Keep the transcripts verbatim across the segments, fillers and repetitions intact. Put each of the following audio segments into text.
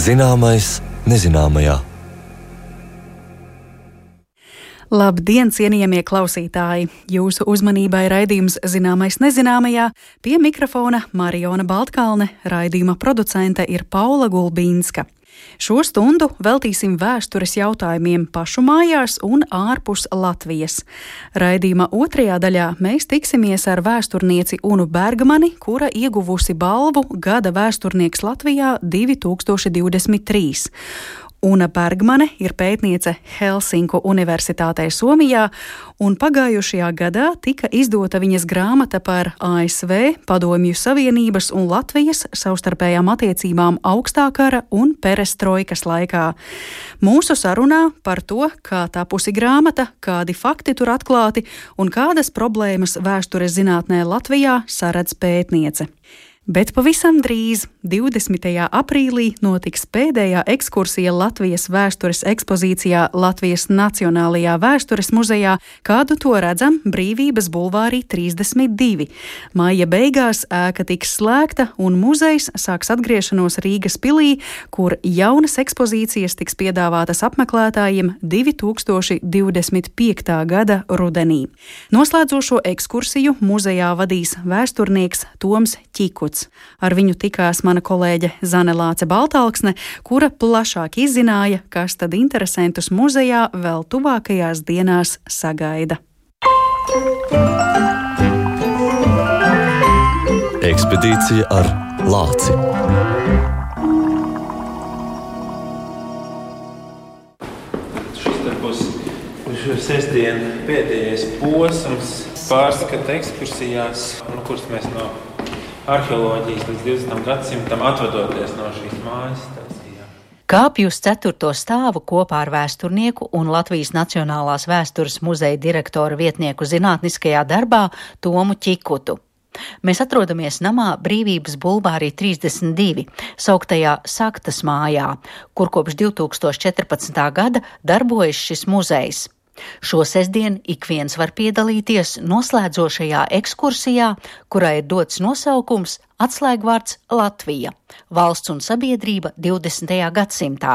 Zināmais nezināmajā. Labdien, cienījamie klausītāji! Jūsu uzmanībai raidījums Zināmais nezināmajā. Pie mikrofona Mariona Baltkalne, raidījuma producente ir Paula Gulbīnska. Šo stundu veltīsim vēstures jautājumiem pašu mājās un ārpus Latvijas. Raidījuma otrajā daļā mēs tiksimies ar vēsturnieci Unu Bergmani, kura ieguvusi balvu Gada vēsturnieks Latvijā divi tūkstoši divdesmit trīs. Una Bergmane ir pētniece Helsinku Universitātē Somijā, un pagājušajā gadā tika izdota viņas grāmata par A S V, Padomju Savienības un Latvijas savstarpējām attiecībām augstā kara un perestroikas laikā. Mūsu sarunā par to, kā tapusi grāmata, kādi fakti tur atklāti un kādas problēmas vēstures zinātnē Latvijā saredz pētniece. Bet pavisam drīz, divdesmitajā aprīlī, notiks pēdējā ekskursija Latvijas vēstures ekspozīcijā Latvijas Nacionālajā vēstures muzejā, kādu to redzam Brīvības bulvārī trīsdesmit divi. Maija beigās ēka tiks slēgta un muzejs sāks atgriešanos Rīgas pilī, kur jaunas ekspozīcijas tiks piedāvātas apmeklētājiem divi tūkstoši divdesmit piektā gada rudenī. Noslēdzošo ekskursiju muzejā vadīs vēsturnieks Toms Ķikuts. Ar viņu tikās mana kolēģe Zane Lāce Baltalksne, kura plašāk izzināja, kas tad interesantus muzejā vēl tuvākajās dienās sagaida. Ekspedīcija ar lāci. Šis te būs sestdien pēdējais posms pārskata ekskursijās, no kuras mēs no arheoloģijas līdz divdesmitam gadsimtam atvadoties no šīs mājas. Kāpju uz ceturto stāvu kopā ar vēsturnieku un Latvijas Nacionālās vēstures muzeja direktora vietnieku zinātniskajā darbā Tomu Ķikutu. Mēs atrodamies namā Brīvības bulvārī trīsdesmit divi, sauktajā Saktas mājā, kur kopš divi tūkstoši četrpadsmitā gada darbojas šis muzejs. Šo sestdien ik viens var piedalīties noslēdzošajā ekskursijā, kurā ir dots nosaukums atslēgvārds Latvija – valsts un sabiedrība divdesmitajā gadsimtā.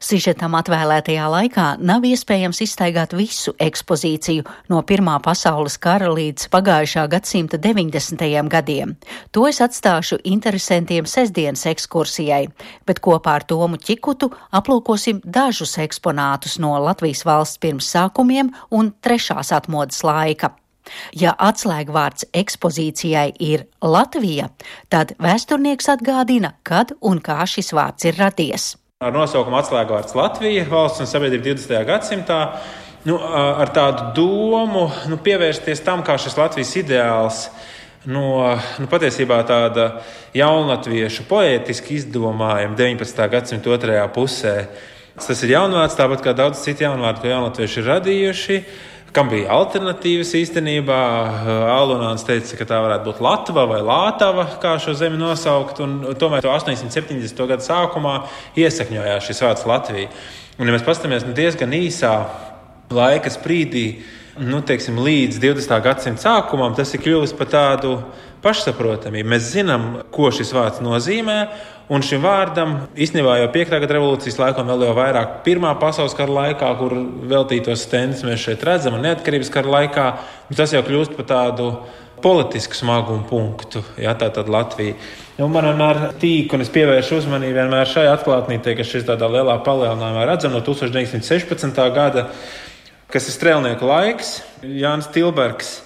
Sižetam atvēlētajā laikā nav iespējams izstaigāt visu ekspozīciju no Pirmā pasaules kara līdz pagājušā gadsimta deviņdesmitajiem gadiem. To es atstāšu interesantiem sestdienas ekskursijai, bet kopā ar Tomu Ķikutu aplūkosim dažus eksponātus no Latvijas valsts pirmsākumiem un trešās atmodas laika. Ja atslēgvārds ekspozīcijai ir Latvija, tad vēsturnieks atgādina, kad un kā šis vārds ir radies. Ar nosaukumu atslēgvārds Latvija, valsts un sabiedrība divdesmitajā gadsimtā, nu, ar tādu domu nu, pievērsties tam, kā šis Latvijas ideāls no nu, patiesībā tāda jaunatviešu poētiski izdomājuma deviņpadsmitā gadsimta otrajā pusē. Tas ir jaunvārds, tāpat kā daudz citu jaunvārdu, ko jaunatvieši ir radījuši, kam bija alternatīvas īstenībā. Alunāns teica, ka tā varētu būt Latva vai Lātava, kā šo zemi nosaukt, un tomēr astoņsimt septiņdesmito gadu sākumā iesakņojās šis vārds Latvija. Un, ja mēs paskatāmies nu, diezgan īsā laika sprīdī, nu, teiksim, līdz divdesmitā gadsimta sākumam, tas ir kļuvis par tādu pašsaprotamību. Mēs zinām, ko šis vārds nozīmē, un šim vārdam īstenībā jau piektā gada revolūcijas laikā, vēl jau vairāk Pirmā pasaules kara laikā, kur veltītos stendus mēs šeit redzam, un neatkarības kara laikā, tas jau kļūst par tādu politisku smagumu punktu, ja, tā tad Latvija. Un man vienmēr tīk, un es pievēršu uzmanību vienmēr šai atklātnītei, ka šis tādā lielā palielinājumā redzam no tūkstoš deviņsimt sešpadsmitā gada, kas ir strēlnieku laiks, Jānis Tilbergs.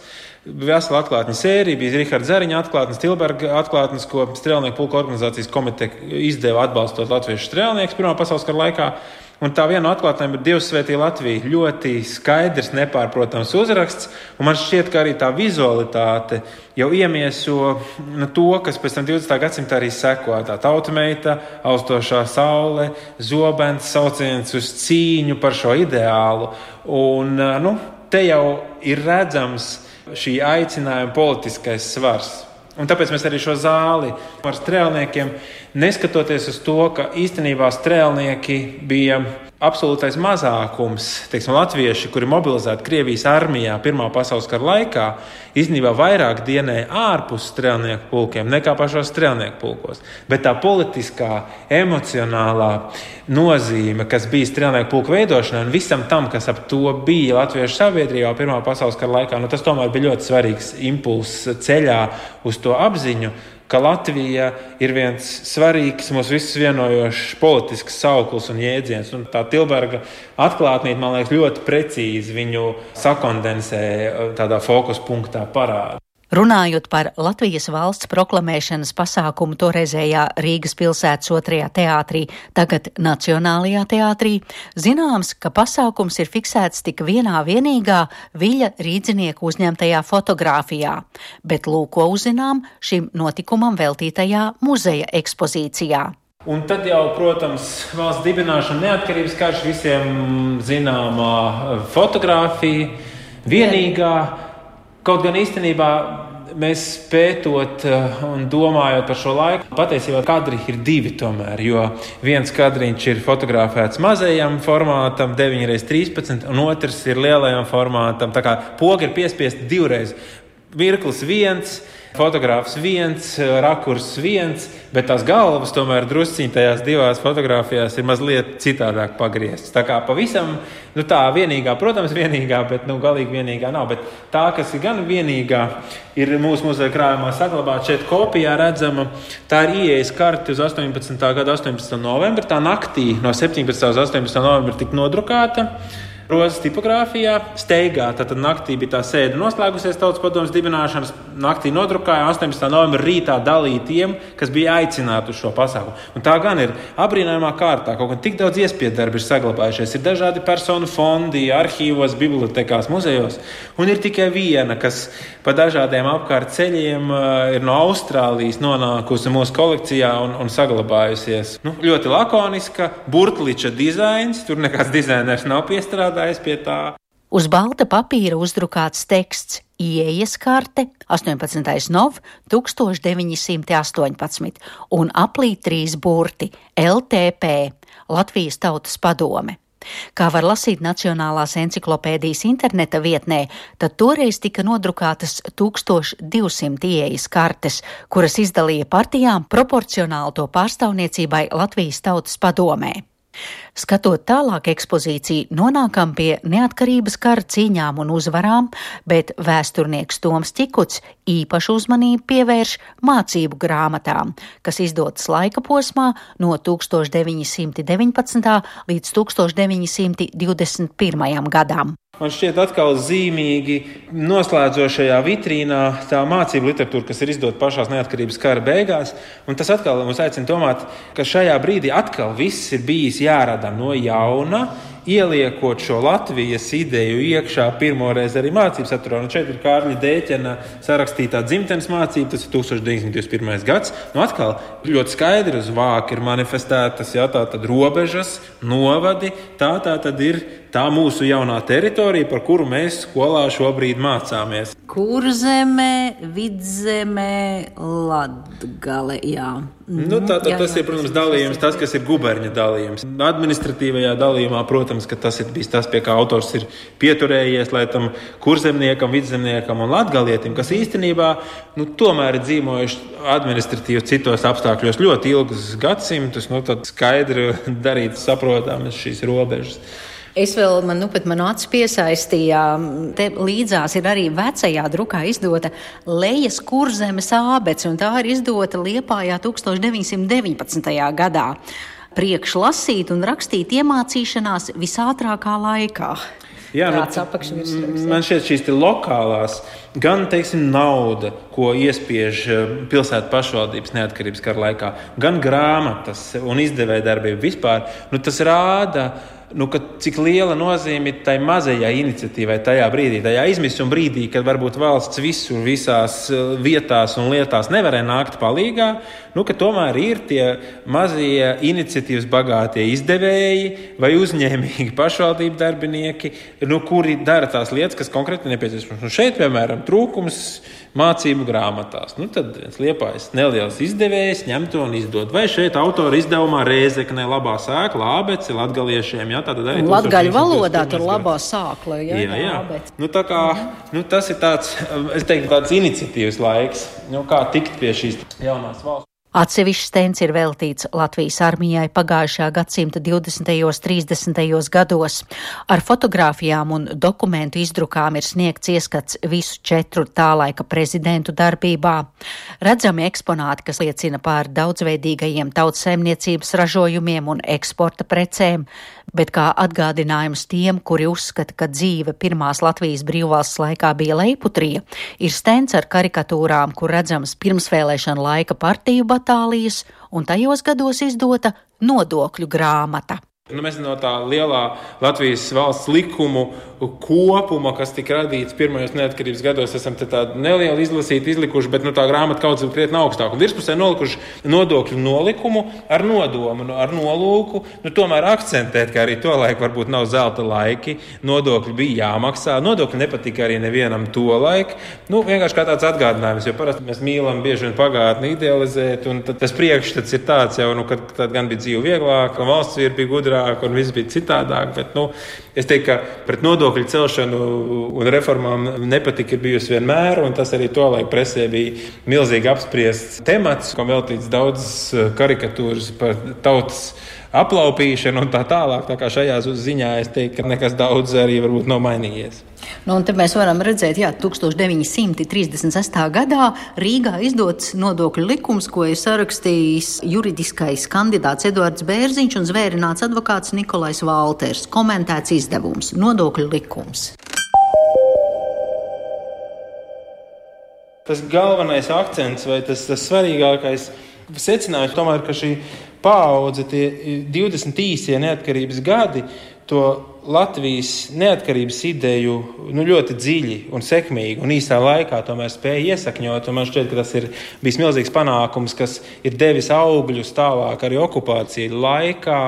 Vesela atklātņu sērija, bija Riharda Zariņa atklātnes, Tilberga atklātnes, ko Strēlnieku pulka organizācijas komiteja izdeva atbalstot latviešu strēlniekus Pirmā pasaules kara laikā. Un tā viena no atklātnēm ir Dievs svētī Latviju. Ļoti skaidrs, nepārprotams uzraksts, un man šķiet, ka arī tā vizualitāte jau iemieso nu, to, kas pēc tam divdesmitā gadsimtā arī seko. Tā tautmeita, austošā saule, zobens, sauciens uz cīņu par šo ideālu. Un nu, te jau ir redzams šī aicinājuma politiskais svars. Un tāpēc mēs arī šo zāli ar strēlniekiem, neskatoties uz to, ka īstenībā strēlnieki bija absolūtais mazākums, teiksim, latvieši, kuri mobilizēti Krievijas armijā Pirmā pasaules kara laikā, īstenībā vairāk dienēja ārpus strēlnieku pulkiem nekā pašos strēlnieku pulkos. Bet tā politiskā, emocionālā nozīme, kas bija strēlnieku pulku veidošanai un visam tam, kas ap to bija latviešu sabiedrībā Pirmā pasaules kara laikā, nu, tas tomēr bija ļoti svarīgs impulss ceļā uz to apziņu, ka Latvija ir viens svarīgs, mūs visus vienojošs politisks sauklis un jēdziens. Un tā Tilberga atklātnība, man liekas, ļoti precīzi viņu sakondensē, tādā fokus punktā parāda. Runājot par Latvijas valsts proklamēšanas pasākumu toreizējā Rīgas pilsētas otrajā teātrī, tagad Nacionālajā teātrī, zināms, ka pasākums ir fiksēts tik vienā vienīgā Viļa Rīdzinieku uzņemtajā fotogrāfijā, bet lūko uzzinām šim notikumam veltītajā muzeja ekspozīcijā. Un tad jau, protams, valsts dibināšana, neatkarības karš, visiem zināmā fotogrāfija, vienīgā. Kaut gan īstenībā mēs pētot un domājot par šo laiku, patiesībā kadri ir divi tomēr, jo viens kadriņš ir fotografēts mazajam formātam deviņi reiz trīspadsmit, un otrs ir lielajam formātam. Tā kā poga ir piespiesti divreiz. Mirklis viens, fotogrāfs viens, rakurs viens, bet tās galvas tomēr drusciņi tajās divās fotogrāfijās ir mazliet citādāk pagrieztas. Tā kā pavisam, nu tā vienīgā, protams, vienīgā, bet nu galīgi vienīgā nav. Bet tā, kas ir gan vienīgā, ir mūsu muzeja krājumā saglabāta šeit kopijā redzama. Tā ir ieejas karte uz astoņpadsmitā gada astoņpadsmitā novembra. Tā naktī no septiņpadsmitā uz astoņpadsmitā novembra tika nodrukāta. Rozes tipogrāfijā steigā, tad naktī bija tā sēde noslēgusies Tautas padomes dibināšanas, naktī nodrukāja, astoņpadsmitā novembra rītā dalīja tiem, kas bija aicināti uz šo pasākumu. Un tā gan ir abrīnojamā kārtā, kaut gan tik daudz iespiedu darbi ir saglabājušies, ir dažādi personu fondi, arhīvos, bibliotekās, muzejos, un ir tikai viena, kas pa dažādiem apkārt ceļiem ir no Austrālijas nonākusi mūsu kolekcijā un, un saglabājusies. Nu, ļoti lakoniska, burtliča dizains, tur nekāds dizainers nav piestrādājis pie tā. Uz balta papīra uzdrukāts teksts Ieejas karte astoņpadsmitais novembris tūkstoš deviņi simti astoņpadsmit un aplī trīs burti L T P Latvijas Tautas padome. Kā var lasīt Nacionālās enciklopēdijas interneta vietnē, tad toreiz tika nodrukātas tūkstoš divsimt ieejas kartes, kuras izdalīja partijām proporcionāli to pārstāvniecībai Latvijas Tautas padomē. Skatot tālāk ekspozīciju, nonākam pie neatkarības kara cīņām un uzvarām, bet vēsturnieks Toms Ķikuts īpašu uzmanību pievērš mācību grāmatām, kas izdotas laika posmā no tūkstoš deviņi simti deviņpadsmitā līdz tūkstoš deviņi simti divdesmit pirmajam gadam. Man šķiet atkal zīmīgi noslēdzošajā vitrīnā tā mācību literatūra, kas ir izdota pašās neatkarības kara beigās, un tas atkal mums aicina domāt, ka šajā brīdī atkal viss ir bijis jārada no jauna, ieliekot šo Latvijas ideju iekšā pirmoreiz arī mācības saturā. Un šeit ir Kārļa Dēķena sarakstītā dzimtenes mācība, tas ir tūkstoš deviņi simti divdesmit pirmais gads. Nu atkal ļoti skaidri uz vāka ir manifestētas, jā, tā tad robežas, novadi, tā tā tad ir tā mūsu jaunā teritorija, par kuru mēs skolā šobrīd mācāmies. Kurzeme, Vidzeme, Latgale, jā. Nu, tā, tā, tas ir, protams, dalījums, tas, kas ir guberņa dalījums. Administratīvajā dalījumā, protams, ka tas ir bijis tas, pie kā autors ir pieturējies, lai tam kurzemniekam, vidzemniekam un latgalietim, kas īstenībā, nu, tomēr ir dzīvojuši administratīvi citos apstākļos ļoti ilgus gadsimtus, nu, tad skaidri darīt saprotamas šīs robežas. Es vēl, man nu pat manu acu piesaistīja, te līdzās ir arī vecajā drukā izdota Lejas Kurzemes ābece, un tā ir izdota Liepājā tūkstoš deviņi simti deviņpadsmitajā gadā. Priekš lasīt un rakstīt iemācīšanās visātrākā laikā. Jā, nu, man šķiet šīs lokālās, gan, teiksim, nauda, ko iespiež pilsētu pašvaldības neatkarības kara laikā, gan grāmatas un izdevēja darbība vispār, nu, tas rāda, nu, ka cik liela nozīme tai mazajai iniciatīvai tajā brīdī, tajā izmisuma brīdī, kad varbūt valsts visur, visās vietās un lietās nevarēja nākt palīgā, nu, ka tomēr ir tie mazie iniciatīvas bagātie izdevēji vai uzņēmīgi pašvaldību darbinieki, nu, kuri dara tās lietas, kas konkrēti nepieciešams. Nu, šeit, piemēram, trūkums mācību grāmatās. Nu, tad viens Liepājas neliels izdevējs ņem to un izdod. Vai šeit autora izdevumā Rēzeknē labā sēkla ābece latgaliešiem, ja, tātad arī latgaļu valodā tur labā sākla, jā, jā, jā. Bet... Nu, tā kā, nu, tas ir tāds, es teiktu, tāds iniciatīvas laiks, nu, kā tikt pie šīs jaunās valsts. Atsevišķs stends ir veltīts Latvijas armijai pagājušā gadsimta divdesmitajos, trīsdesmitajos gados. Ar fotogrāfijām un dokumentu izdrukām ir sniegts ieskats visu četru tā laika prezidentu darbībā. Redzami eksponāti, kas liecina par daudzveidīgajiem tautsaimniecības ražojumiem un eksporta precēm, bet kā atgādinājums tiem, kuri uzskata, ka dzīve pirmās Latvijas brīvvalsts laikā bija leiputrija, ir stends ar karikatūrām, kur redzamas pirmsvēlēšana laika partiju batālijas un tajos gados izdota nodokļu grāmata. Nu, mēs no tā lielā Latvijas valsts likumu kopuma, kas tika radīts pirmajos neatkarības gados, esam te tādu nelielu izlasīti, izlikuši, bet nu, tā grāmata kaut kas krietni augstāk. Un virspusē nolikuši nodokļu nolikumu ar nodomu, ar nolūku, nu, tomēr akcentēt, ka arī to laiku varbūt nav zelta laiki, nodokļi bija jāmaksā, nodokļi nepatika arī nevienam to laiku. Nu, vienkārši kā tāds atgādinājums, jo parasti mēs mīlam bieži vien pagātni idealizēt, un tas priekšstats ir tāds jau, nu, kad tad gan bija dzīve vieglāk, un valsts ir bija gudrāk, un viss bija citādāk, bet, nu, es teiktu, ka pret nodokļu celšanu un reformām nepatika ir bijusi vienmēr, un tas arī to laiku presē bija milzīgi apspriests temats, ko veltīts daudz karikatūras par tautas aplaupīšanu un tā tālāk, tā kā šajā ziņā es teiktu, ka nekas daudz arī varbūt nav mainījies. Nu, un te mēs varam redzēt, jā, tūkstoš deviņi simti trīsdesmit sestajā gadā Rīgā izdots nodokļu likums, ko ir sarakstījis juridiskais kandidāts Eduards Bērziņš un zvērināts advokāts Nikolais Valters. Komentēts izdevums – nodokļu likums. Tas galvenais akcents vai tas, tas svarīgākais secinājums tomēr, ka šī paudze, tie divdesmit īsie neatkarības gadi, to Latvijas neatkarības ideju nu, ļoti dziļi un sekmīgi un īsā laikā tomēr spēja iesakņot. Un man šķiet, ka tas ir bijis milzīgs panākums, kas ir devis augļus tālāk arī okupāciju laikā,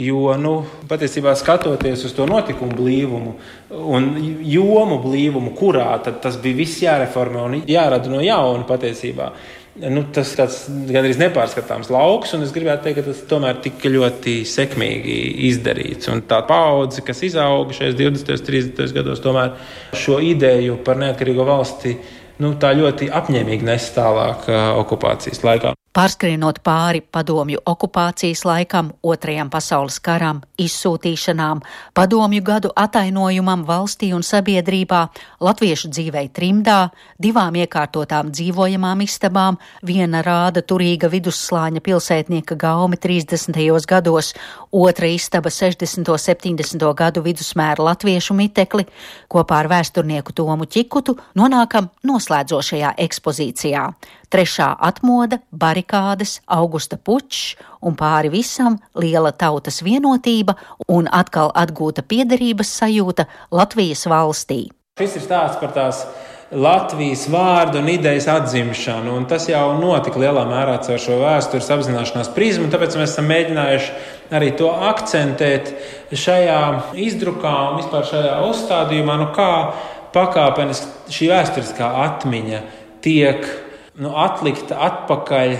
jo nu, patiesībā skatoties uz to notikumu blīvumu un jomu blīvumu, kurā tad tas bija viss jāreformē un jārada no jauna patiesībā. Nu, tas ir gandrīz nepārskatāms lauks, un es gribētu teikt, ka tas tomēr tika ļoti sekmīgi izdarīts. Un tā paudze, kas izauga šajos divdesmitajos, trīsdesmitajos gados, tomēr šo ideju par neatkarīgo valsti nu, tā ļoti apņēmīgi nes tālāk uh, okupācijas laikā. Pārskrienot pāri padomju okupācijas laikam, otrajam pasaules karam, izsūtīšanām, padomju gadu atainojumam valstī un sabiedrībā, latviešu dzīvei trimdā, divām iekārtotām dzīvojamām istabām, viena rāda turīga vidusslāņa pilsētnieka gaumi trīsdesmitajos gados, otra istaba sešdesmito septiņdesmito gadu vidusmēra latviešu mitekli, kopā ar vēsturnieku Tomu Ķikutu nonākam noslēdzošajā ekspozīcijā. Trešā atmoda, barikādes, Augusta pučs un pāri visam liela tautas vienotība un atkal atgūta piederības sajūta Latvijas valstī. Šis ir stāsts par tās Latvijas vārdu un idejas atzimšanu, un tas jau notika lielā mērā caur šo vēstures apzināšanās prizmu, tāpēc mēs esam mēģinājuši arī to akcentēt šajā izdrukā un vispār šajā uzstādījumā, nu kā pakāpeniski šī vēsturiskā atmiņa tiek nu, atlikta atpakaļ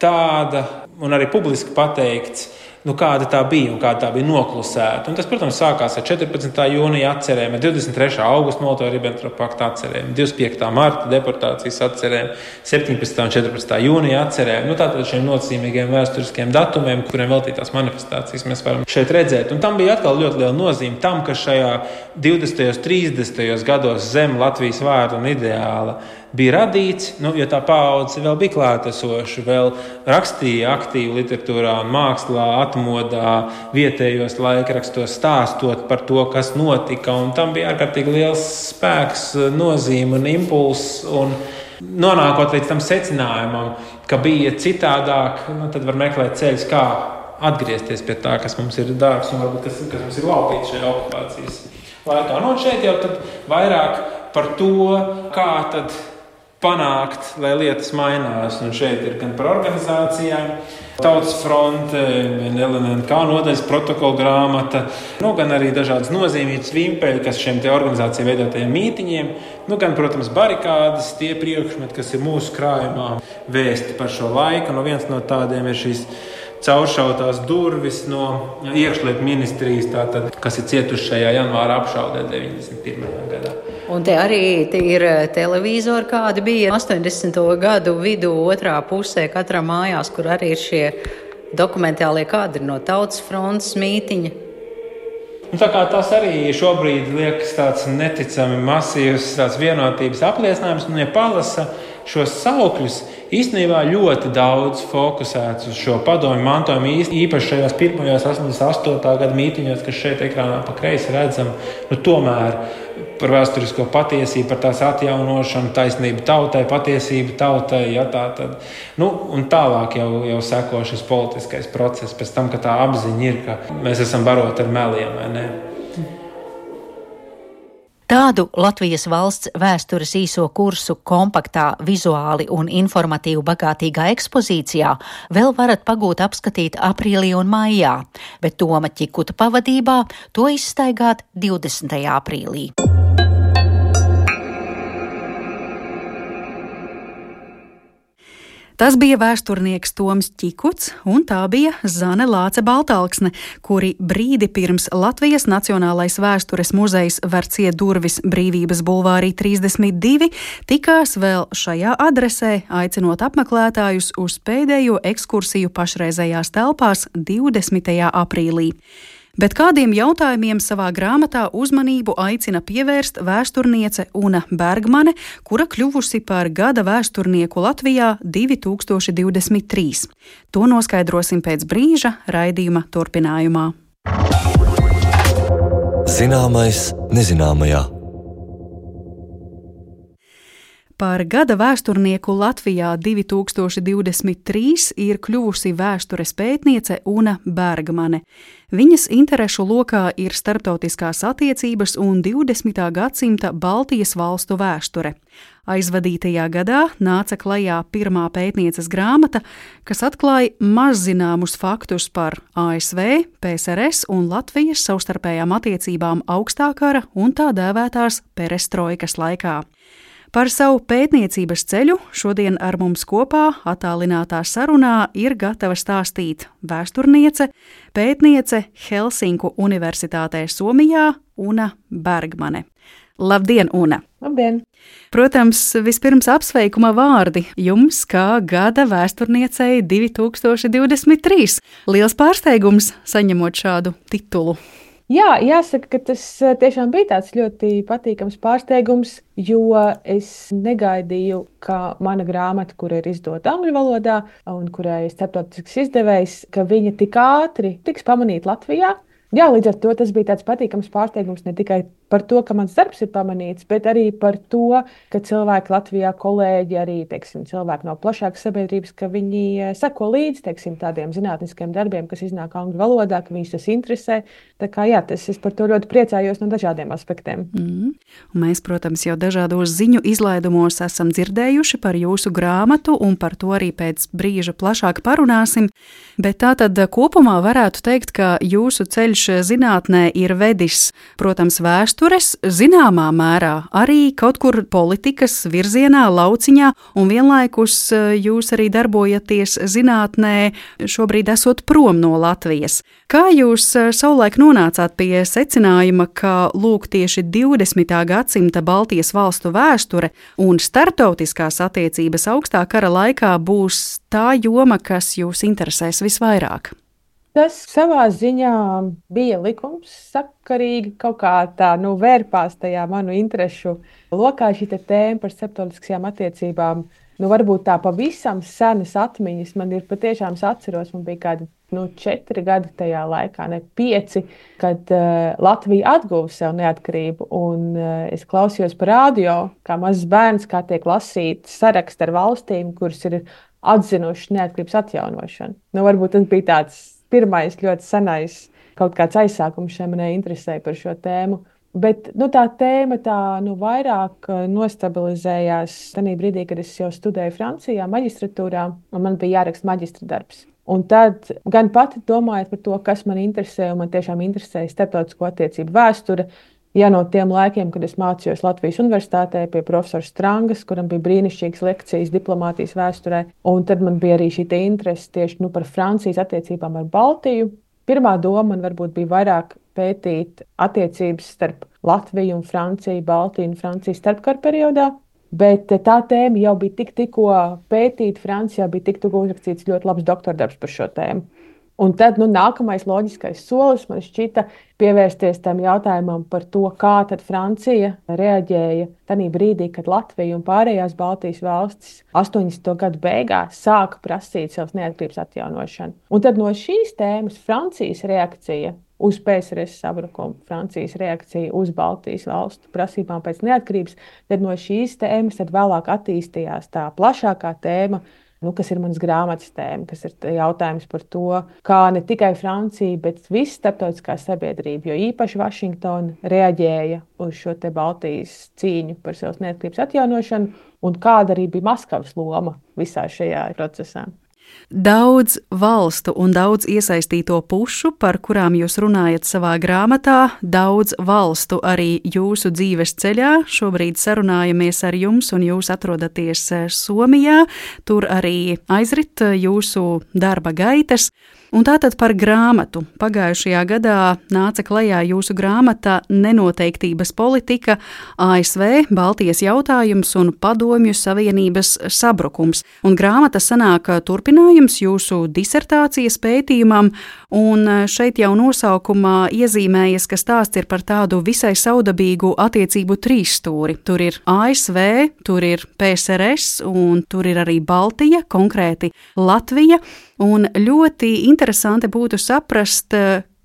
tāda un arī publiski pateikts, nu, kāda tā bija un kāda tā bija noklusēta. Un tas, protams, sākās ar četrpadsmitā jūnija atcerēm, divdesmit trešā augusta Molotovu-Ribentropa pakta atcerēm, divdesmit piektā marta deportācijas atcerēm, septiņpadsmitā un četrpadsmitā jūnija atcerēm. Nu, tātad šiem nozīmīgiem vēsturiskiem datumiem, kuriem veltītās manifestācijas mēs varam šeit redzēt. Un tam bija atkal ļoti liela nozīme tam, ka šajā divdesmitajos, trīsdesmitajos gados zem Latvijas vārda un ideāla bija radīts, nu, jo tā paudze vēl bija klātesoša, vēl rakstīja aktīvi literatūrā un mākslā, atmodā, vietējos laikrakstos, stāstot par to, kas notika, un tam bija ārkārtīgi liels spēks, nozīme un impulss, un nonākot līdz tam secinājumam, ka bija citādāk, nu, tad var meklēt ceļus, kā atgriezties pie tā, kas mums ir dārgs un varbūt kas, kas mums ir laupīts šajā okupācijas laikā. Nu, un šeit jau tad vairāk par to, kā tad panākt, lai lietas mainās. Un šeit ir gan par organizācijām, Tautas fronte, L N N K nodaļas protokola grāmata, nu, gan arī dažādas nozīmītas vimpeļi, kas šiem te organizāciju veidotajiem mītiņiem, nu, gan, protams, barikādas, tie priekšmeti, kas ir mūsu krājumā vēsti par šo laiku. Nu, viens no tādiem ir šīs cauršautās durvis no iekšlietu ministrijas, tātad, kas ir cietuši šajā janvāra apšaudē deviņdesmit pirmajā gadā. Un te arī te ir televizori, kādi bija astoņdesmito gadu vidū otrā pusē katrā mājās, kur arī ir šie dokumentālie kadri no Tautas frontes mītiņa. Un tā kā tas arī šobrīd liekas tāds neticami masīvs tāds vienotības apliecinājums, un ja palasa šos saukļus, īstenībā ļoti daudz fokusēts uz šo padomju mantojumu, īpaši šajos pirmajos astoņdesmit astotā gada mītiņos, kas šeit ekrānā pa kreisi redzam, nu tomēr par vēsturisko patiesību, par tās atjaunošanu, taisnību tautai, patiesību tautai, ja tā tad. Nu, un tālāk jau, jau seko šis politiskais process, pēc tam, ka tā apziņa ir, ka mēs esam baroti ar meliem, vai ne? Tādu Latvijas valsts vēstures īso kursu kompaktā, vizuāli un informatīvi bagātīgā ekspozīcijā vēl varat pagūt apskatīt aprīlī un maijā, bet Toma Ķikuta pavadībā to izstaigāt divdesmitajā aprīlī. Tas bija vēsturnieks Toms Ķikuts, un tā bija Zane Lāce-Baltalksne, kuri brīdi pirms Latvijas Nacionālais vēstures muzejs var ciet durvis Brīvības bulvārī trīsdesmit divi, tikās vēl šajā adresē, aicinot apmeklētājus uz pēdējo ekskursiju pašreizējās telpās divdesmitajā aprīlī. Bet kādiem jautājumiem savā grāmatā uzmanību aicina pievērst vēsturniece Una Bergmane, kura kļuvusi par gada vēsturnieku Latvijā divi tūkstoši divdesmit trīs. To noskaidrosim pēc brīža raidījuma turpinājumā. Zināmais nezināmajā. Par gada vēsturnieku Latvijā divi tūkstoši divdesmit trīs ir kļuvusi vēstures pētniece Una Bergmane. Viņas interešu lokā ir starptautiskās attiecības un divdesmitā gadsimta Baltijas valstu vēsture. Aizvadītajā gadā nāca klajā pirmā pētnieces grāmata, kas atklāja mazzināmus faktus par A S V, P S R S un Latvijas savstarpējām attiecībām augstā kara un tā dēvētās perestroikas laikā. Par savu pētniecības ceļu šodien ar mums kopā attālinātā sarunā ir gatava stāstīt vēsturniece, pētniece Helsinku Universitātē Somijā Una Bergmane. Labdien, Una! Labdien! Protams, vispirms apsveikuma vārdi jums kā gada vēsturniecei divi tūkstoši divdesmit trīs. Liels pārsteigums saņemot šādu titulu. Jā, jāsaka, ka tas tiešām bija tāds ļoti patīkams pārsteigums, jo es negaidīju, ka mana grāmata, kura ir izdota angļu valodā un kurai ir starptautisks izdevējs, ka viņa tik ātri tiks pamanīta Latvijā. Jā, līdz ar to tas bija tāds patīkams pārsteigums ne tikai par to, ka mans darbs ir pamanīts, bet arī par to, ka cilvēki Latvijā, kolēģi, arī teiksim, cilvēki no plašākas sabiedrības, ka viņi seko līdzi teiksim, tādiem zinātniskiem darbiem, kas iznāk angļu valodā, ka viņus tas interesē. Tā kā jā, tas, es par to ļoti priecājos no dažādiem aspektiem. Mm. Un mēs, protams, jau dažādos ziņu izlaidumos esam dzirdējuši par jūsu grāmatu un par to arī pēc brīža plašāk parunāsim, bet tā tad kopumā varētu teikt, ka jūsu ceļš zinātnē ir vedis, protams, vēstures, zināmā mērā arī kaut kur politikas virzienā, lauciņā, un vienlaikus jūs arī darbojaties zinātnē, šobrīd esot prom no Latvijas. Kā jūs savulaik nonācāt pie secinājuma, ka lūk tieši divdesmitā gadsimta Baltijas valstu vēsture un starptautiskās attiecības augstā kara laikā būs tā joma, kas jūs interesēs visvairāk? Tas savā ziņā bija likums sakarīgi, kaut kā tā nu, vērpās tajā manu interešu lokā šī tēma par starptautiskajām attiecībām. Nu, varbūt tā pavisam senas atmiņas man ir patiešām, es atceros, man bija kādi nu, četri gadi tajā laikā, ne pieci, kad uh, Latvija atguva sev neatkarību. Un uh, es klausījos par radio, kā mazs bērns, kā tiek lasīts saraksts ar valstīm, kuras ir atzinušas neatkarības atjaunošanu. Nu, varbūt tas bija tāds pirmais ļoti senais kaut kāds aizsākums šai manai interesē par šo tēmu. Bet nu, tā tēma tā, nu, vairāk nostabilizējās tajā brīdī, kad es jau studēju Francijā, maģistratūrā, un man bija jāraksta maģistra darbs. Un tad gan pati domājot par to, kas man interesē, un man tiešām interesēja starptautisko attiecību vēsture, Ja no tiem laikiem, kad es mācījos Latvijas Universitātē pie profesora Strangas, kuram bija brīnišķīgas lekcijas diplomātijas vēsturē, un tad man bija arī šī interese tieši nu, par Francijas attiecībām ar Baltiju. Pirmā doma man varbūt bija vairāk pētīt attiecības starp Latviju un Franciju, Baltiju un Franciju starpkara periodā, bet tā tēma jau bija tik tikko pētīta. Francijā bija tik tikko uzrakstīts ļoti labs doktordarbs par šo tēmu. Un tad nu, nākamais loģiskais solis man šķita pievērsties tam jautājumam par to, kā tad Francija reaģēja tajā brīdī, kad Latvija un pārējās Baltijas valstis astoņdesmito gadu beigās sāka prasīt savas neatkarības atjaunošanu. Un tad no šīs tēmas Francijas reakcija uz P S R S sabrukumu, Francijas reakcija uz Baltijas valstu prasībām pēc neatkarības, tad no šīs tēmas tad vēlāk attīstījās tā plašākā tēma, nu, kas ir manas grāmatas tēma, kas ir jautājums par to, kā ne tikai Francija, bet visa starptautiskā sabiedrība, jo īpaši Vašingtona reaģēja uz šo te Baltijas cīņu par savas neatkarības atjaunošanu, un kāda arī bija Maskavas loma visā šajā procesā. Daudz valstu un daudz iesaistīto pušu, par kurām jūs runājat savā grāmatā, daudz valstu arī jūsu dzīves ceļā. Šobrīd sarunājamies ar jums, un jūs atrodaties Somijā. Tur arī aizrit jūsu darba gaitas. Un tātad par grāmatu. Pagājušajā gadā nāca klajā jūsu grāmata Nenoteiktības politika, A S V, Baltijas jautājums un Padomju Savienības sabrukums. Un grāmata sanāk turpinājums jūsu disertācijas pētījumam, un šeit jau nosaukumā iezīmējas, ka stāsts ir par tādu visai saudabīgu attiecību trīsstūri. Tur ir A S V, tur ir P S R S un tur ir arī Baltija, konkrēti Latvija. Un ļoti interesanti būtu saprast,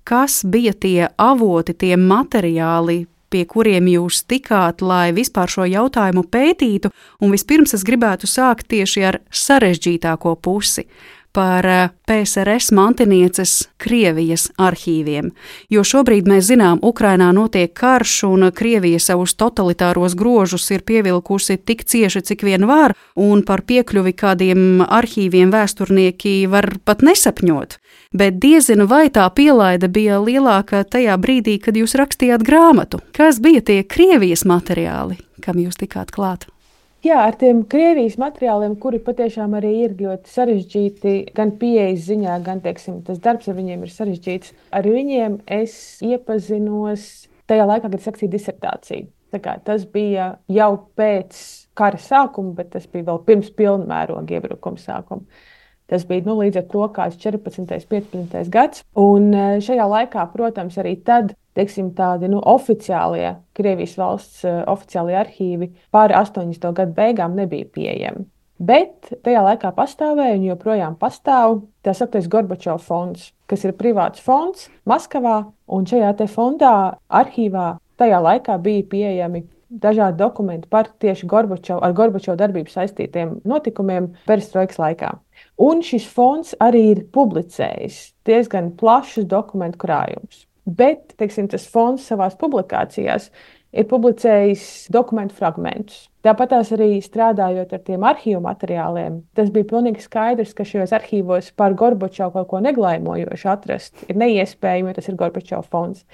kas bija tie avoti, tie materiāli, pie kuriem jūs tikāt, lai vispār šo jautājumu pētītu. Un vispirms es gribētu sākt tieši ar sarežģītāko pusi, par P S R S mantinieces Krievijas arhīviem. Jo šobrīd mēs zinām, Ukrainā notiek karš un Krievija savus totalitāros grožus ir pievilkusi tik cieši, cik vien var, un par piekļuvi kādiem arhīviem vēsturnieki var pat nesapņot. Bet diezinu, vai tā pielaide bija lielāka tajā brīdī, kad jūs rakstījāt grāmatu. Kas bija tie Krievijas materiāli, kam jūs tikāt klāt? Jā, ar tiem Krievijas materiāliem, kuri patiešām arī ir ļoti sarežģīti, gan pieejas ziņā, gan, teiksim, tas darbs ar viņiem ir sarežģīts. Ar viņiem es iepazinos tajā laikā, kad es rakstīju disertāciju. Tā kā tas bija jau pēc kara sākuma, bet tas bija vēl pirms pilnmēroga iebrukuma sākuma. Tas bija nu, līdz ar to kāds četrpadsmitais, piecpadsmitais gads. Un šajā laikā, protams, arī tad, teiksim, tādi nu, oficiālie Krievijas valsts uh, oficiālie arhīvi pāri astoņdesmito gadu beigām nebija pieejami. Bet tajā laikā pastāvēja un joprojām pastāv tā sauktais Gorbačova fonds, kas ir privāts fonds Maskavā. Un šajā te fondā arhīvā tajā laikā bija pieejami dažādi dokumenti par tieši Gorbačovu, ar Gorbačovu darbību saistītiem notikumiem perestroikas laikā. Un šis fonds arī ir publicējis diezgan plašus dokumentu krājumus. Bet, teiksim, tas fonds savās publikācijās ir publicējis dokumentu fragmentus. Tāpat tās arī strādājot ar tiem arhīvu materiāliem, tas bija pilnīgi skaidrs, ka šajos arhīvos par Gorbačovu kaut ko neglaimojošu atrast ir neiespējami, jo tas ir Gorbačova fonds.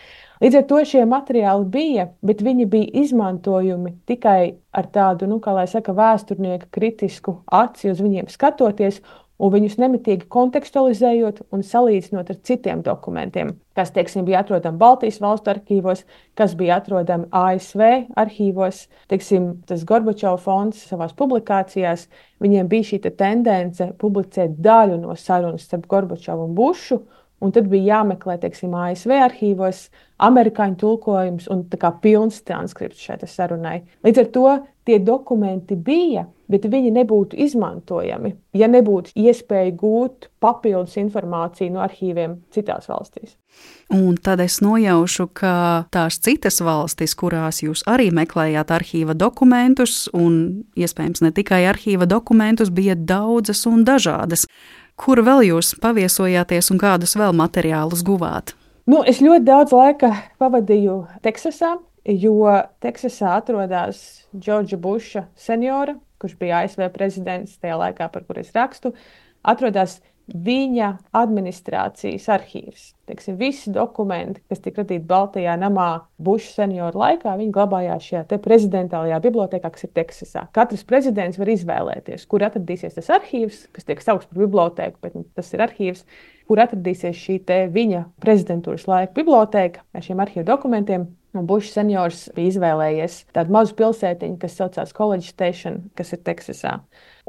Līdz ar to šie materiāli bija, bet viņi bija izmantojumi tikai ar tādu, nu, kā lai saka, vēsturnieka kritisku aci uz viņiem skatoties, un viņus nemitīgi kontekstualizējot un salīdzinot ar citiem dokumentiem, kas, teiksim, bija atrodami Baltijas valstu arhīvos, kas bija atrodami A S V arhīvos. Teiksim, tas Gorbačova fonds savās publikācijās, viņiem bija šī tendence publicēt daļu no sarunas starp Gorbačovu un Bušu, un tad bija jāmeklē, teiksim, A S V arhīvos amerikāņu tulkojums un tā kā pilns transkripts šai sarunai. Līdz ar to tie dokumenti bija, bet viņi nebūtu izmantojami, ja nebūtu iespēja gūt papildus informāciju no arhīviem citās valstīs. Un tad es nojaušu, ka tās citas valstis, kurās jūs arī meklējāt arhīva dokumentus, un iespējams ne tikai arhīva dokumentus, bija daudzas un dažādas. Kur vēl jūs paviesojāties un kādus vēl materiālus guvāt? Nu, es ļoti daudz laika pavadīju Teksasā, jo Teksasā atrodas Džordža Buša seniora, kurš bija A S V prezidents tajā laikā, par kur es rakstu. Atrodas viņa administrācijas arhīvs. Teiksim, visi dokumenti, kas tika radīti Baltajā namā Buša senioru laikā, viņi glabājās šajā te prezidentālajā bibliotēkā, kas ir Teksasā. Katrs prezidents var izvēlēties, kur atradīsies tas arhīvs, kas tiek saukts par bibliotēku, bet tas ir arhīvs, kur atradīsies šī te viņa prezidentūras laika bibliotēka ar šiem arhīvu dokumentiem. Un Buša seniors bija izvēlējies tādu mazu pilsētiņu, kas saucās College Station, kas ir Teksasā.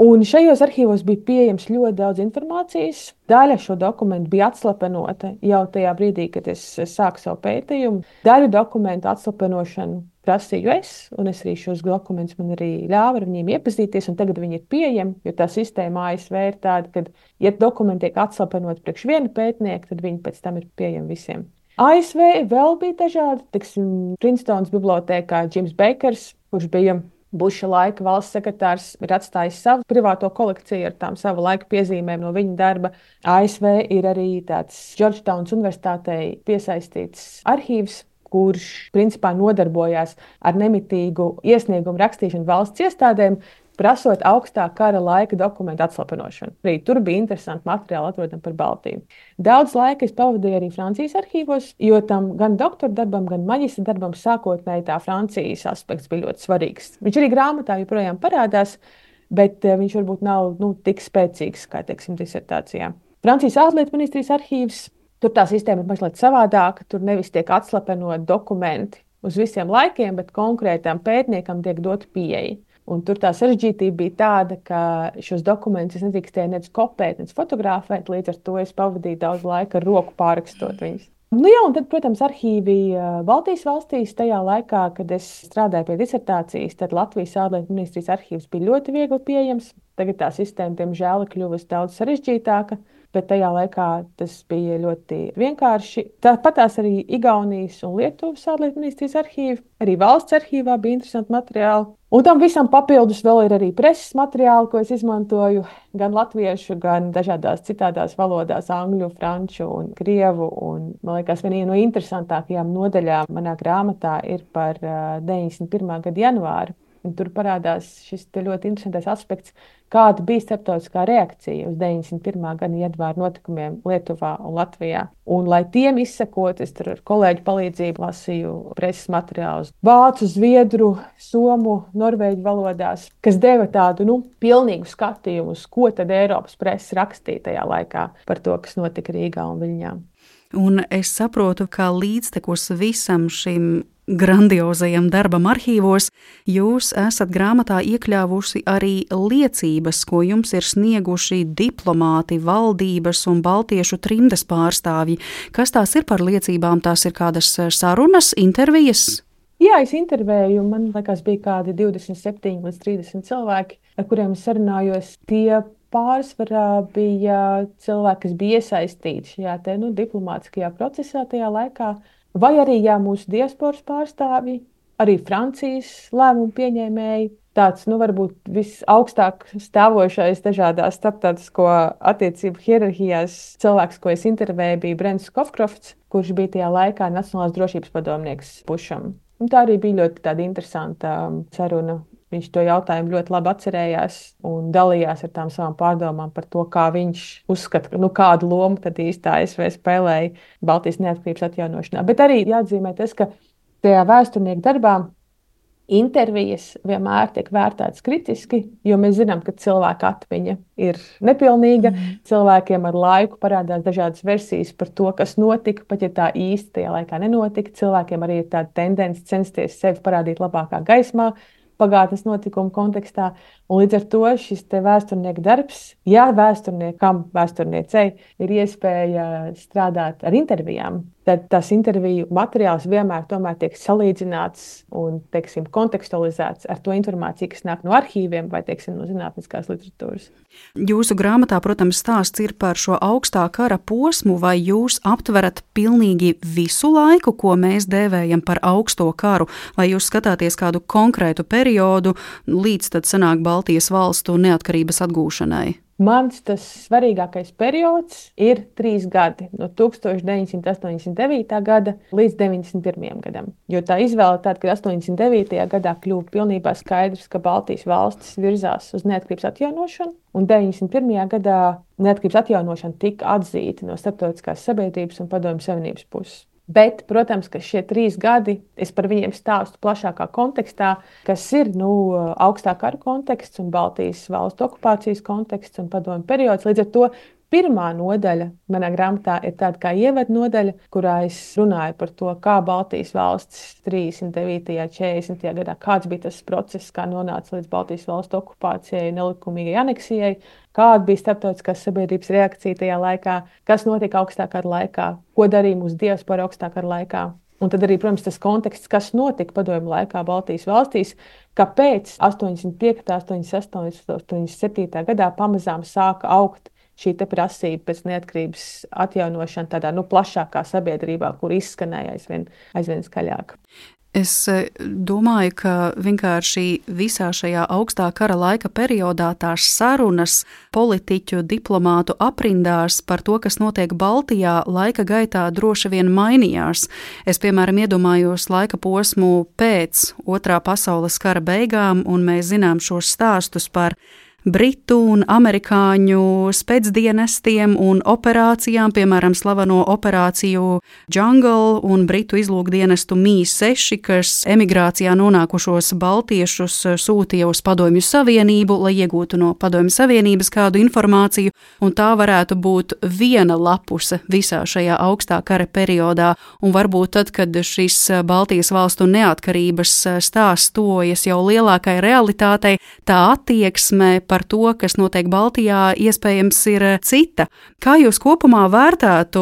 Un šajos arhīvos bija pieejams ļoti daudz informācijas. Daļa šo dokumentu bija atslapenota jau tajā brīdī, kad es sāku savu pētījumu. Daļu dokumentu atslapenošanu prasīju es, un es arī šos dokumentus man arī ļāvu ar viņiem iepazīties, un tagad viņi ir pieejami, jo tā sistēma A S V ir tāda, ka, ja dokumenti tiek atslapenoti priekš viena pētnieka, tad viņi pēc tam ir pieejami visiem. A S V vēl bija dažādi, tiksim, Princetons bibliotēkā Jims Bakers, kurš bija Buša laika valsts sekretārs, ir atstājis savu privāto kolekciju ar tām savu laika piezīmēm no viņa darba. A S V ir arī tāds Georgetownas universitātei piesaistīts arhīvs, kurš principā nodarbojās ar nemitīgu iesniegumu rakstīšanu valsts iestādēm, prasot augstā kara laika dokumentu atslapenošanu. Arī tur bija interesanti materiāli atrodami par Baltiju. Daudz laika es pavadīju arī Francijas arhīvos, jo tam gan doktora darbam, gan maģistra darbam sākotnēji tā Francijas aspekts bija ļoti svarīgs. Viņš arī grāmatā joprojām parādās, bet viņš varbūt nav nu, tik spēcīgs, kā teiksim, disertācijā. Francijas ārlietu ministrijas arhīvs, tur tā sistēma ir mazliet savādāka, tur nevis tiek atslapenot dokumenti uz visiem laikiem, bet konkrētām pētniekam tiek dot pieeja. Un tur tā sarežģītība bija tāda, ka šos dokumentus es nedrīkstēju nec kopēt, nec fotografēt, līdz ar to es pavadīju daudz laika ar roku pārrakstot viņus. Nu jā, un tad, protams, arhīvi Baltijas valstīs tajā laikā, kad es strādāju pie disertācijas, tad Latvijas ārlietu ministrijas arhīvs bija ļoti viegli pieejams. Tagad tā sistēma, diemžēl, ir kļuvusi daudz sarežģītāka, bet tajā laikā tas bija ļoti vienkārši. Tāpat tās arī Igaunijas un Lietuvas ārlietu ministrijas arhīvi, arī valsts arhīvā bija interesanti materiāli. Un tam visam papildus vēl ir arī preses materiāli, ko es izmantoju gan latviešu, gan dažādās citādās valodās, angļu, franču un krievu. Un, man liekas, viena no interesantākajām nodaļām manā grāmatā ir par deviņdesmit pirmā gada janvāru. Un tur parādās šis ļoti interesantais aspekts, kāda bija starptautiskā reakcija uz deviņdesmit pirmā gada janvāra notikumiem Lietuvā un Latvijā. Un, lai tiem izsekot, es tur ar kolēģu palīdzību lasīju preses materiālus vācu, zviedru, somu, norvēģu valodās, kas deva tādu nu, pilnīgu skatījumu, uz ko tad Eiropas presa rakstīja tajā laikā par to, kas notika Rīgā un Viļņā. Un es saprotu, ka līdztekus visam šim grandiozajam darbam arhīvos, jūs esat grāmatā iekļāvusi arī liecības, ko jums ir snieguši diplomāti, valdības un baltiešu trimdes pārstāvji. Kas tās ir par liecībām? Tās ir kādas sarunas, intervijas? Jā, es intervēju, man liekas, bija kādi divdesmit septiņi līdz trīsdesmit cilvēki, ar kuriem es sarunājos. Tie pārsvarā bija cilvēki, kas bija iesaistīti šajā te, nu, diplomātiskajā procesā tajā laikā. Vai arī jā, mūsu diasporas pārstāvji, arī Francijas lēmumu pieņēmēji. Tāds, nu, varbūt visaugstāk stāvošais dažādās starptautisko attiecību hierarhijās cilvēks, ko es intervēju, bija Brents Skofkrofts, kurš bija tajā laikā Nacionālās drošības padomnieks Bušam. Un tā arī bija ļoti tāda interesanta saruna. Viņš to jautājumu ļoti labi atcerējās un dalījās ar tām savām pārdomām par to, kā viņš uzskata, nu, kādu lomu tad īsti A S V spēlēja Baltijas neatkarības atjaunošanā. Bet arī jāatzīmē tas, ka tajā vēsturnieku darbā intervijas vienmēr tiek vērtētas kritiski, jo mēs zinām, ka cilvēka atmiņa ir nepilnīga. Mm. Cilvēkiem ar laiku parādās dažādas versijas par to, kas notika, pat ja tā īsti tajā laikā nenotika. Cilvēkiem arī ir tāda tendence censties sevi parādīt labākā gaismā pagātnes notikumu kontekstā. Un līdz ar to šis te vēsturnieka darbs, ja vēsturniekam, vēsturniecei ir iespēja strādāt ar intervijām, tad tas interviju materiāls vienmēr tomēr tiek salīdzināts un, teiksim, kontekstualizēts ar to informāciju, kas nāk no arhīviem vai, teiksim, no zinātniskās literatūras. Jūsu grāmatā, protams, stāsts ir par šo augstā kara posmu, vai jūs aptverat pilnīgi visu laiku, ko mēs dēvējam par augsto karu, vai jūs skatāties kādu konkrētu periodu līdz tad sanāk Baltijas valstu neatkarības atgūšanai? Mans tas svarīgākais periods ir trīs gadi, no tuksstoš deviņsimt astoņdesmit devītā gada līdz deviņdesmit pirmajam gadam. Jo tā izvēle tāda, ka astoņdesmit devītajā gadā kļuva pilnībā skaidrs, ka Baltijas valstis virzās uz neatkarības atjaunošanu, un deviņdesmit pirmajā gadā neatkarības atjaunošana tika atzīta no starptautiskās sabiedrības un Padomju Savienības puses. Bet, protams, ka šie trīs gadi, es par viņiem stāstu plašākā kontekstā, kas ir nu, augstā kara konteksts un Baltijas valstu okupācijas konteksts un padomju periods. Līdz ar to pirmā nodaļa manā grāmatā ir tāda kā ievadu nodaļa, kurā es runāju par to, kā Baltijas valstis trīsdesmit devītajā, četrdesmitajā gadā, kāds bija tas process, kā nonāca līdz Baltijas valstu okupācijai, nelikumīgai aneksijai, kāda bija starptautiskās sabiedrības reakcija tajā laikā, kas notika augstā kara laikā, ko darīja mūsu diaspora augstā kara laikā. Un tad arī, protams, tas konteksts, kas notika padomju laikā Baltijas valstīs, kāpēc astoņdesmit piektajā, astoņdesmit sestajā, astoņdesmit septītajā gadā pamazām sāka augt šī prasība pēc neatkarības atjaunošana tādā nu, plašākā sabiedrībā, kur izskanēja aizvien, aizvien skaļāk. Es domāju, ka vienkārši visā šajā augstā kara laika periodā tās sarunas politiķu, diplomātu aprindās par to, kas notiek Baltijā, laika gaitā droši vien mainījās. Es, piemēram, iedomājos laika posmu pēc Otrā pasaules kara beigām, un mēs zinām šos stāstus par Britu un amerikāņu spēcdienestiem un operācijām, piemēram, slaveno operāciju Jungle un Britu izlūkdienestu M I seši, kas emigrācijā nonākušos baltiešus sūtīja uz Padomju Savienību, lai iegūtu no Padomju Savienības kādu informāciju, un tā varētu būt viena lapuse visā šajā augstā kara periodā, un varbūt tad, kad šis Baltijas valstu neatkarības stāsts tojas jau lielākai realitātei, tā attieksme par to, kas notiek Baltijā, iespējams ir cita. Kā jūs kopumā vērtētu,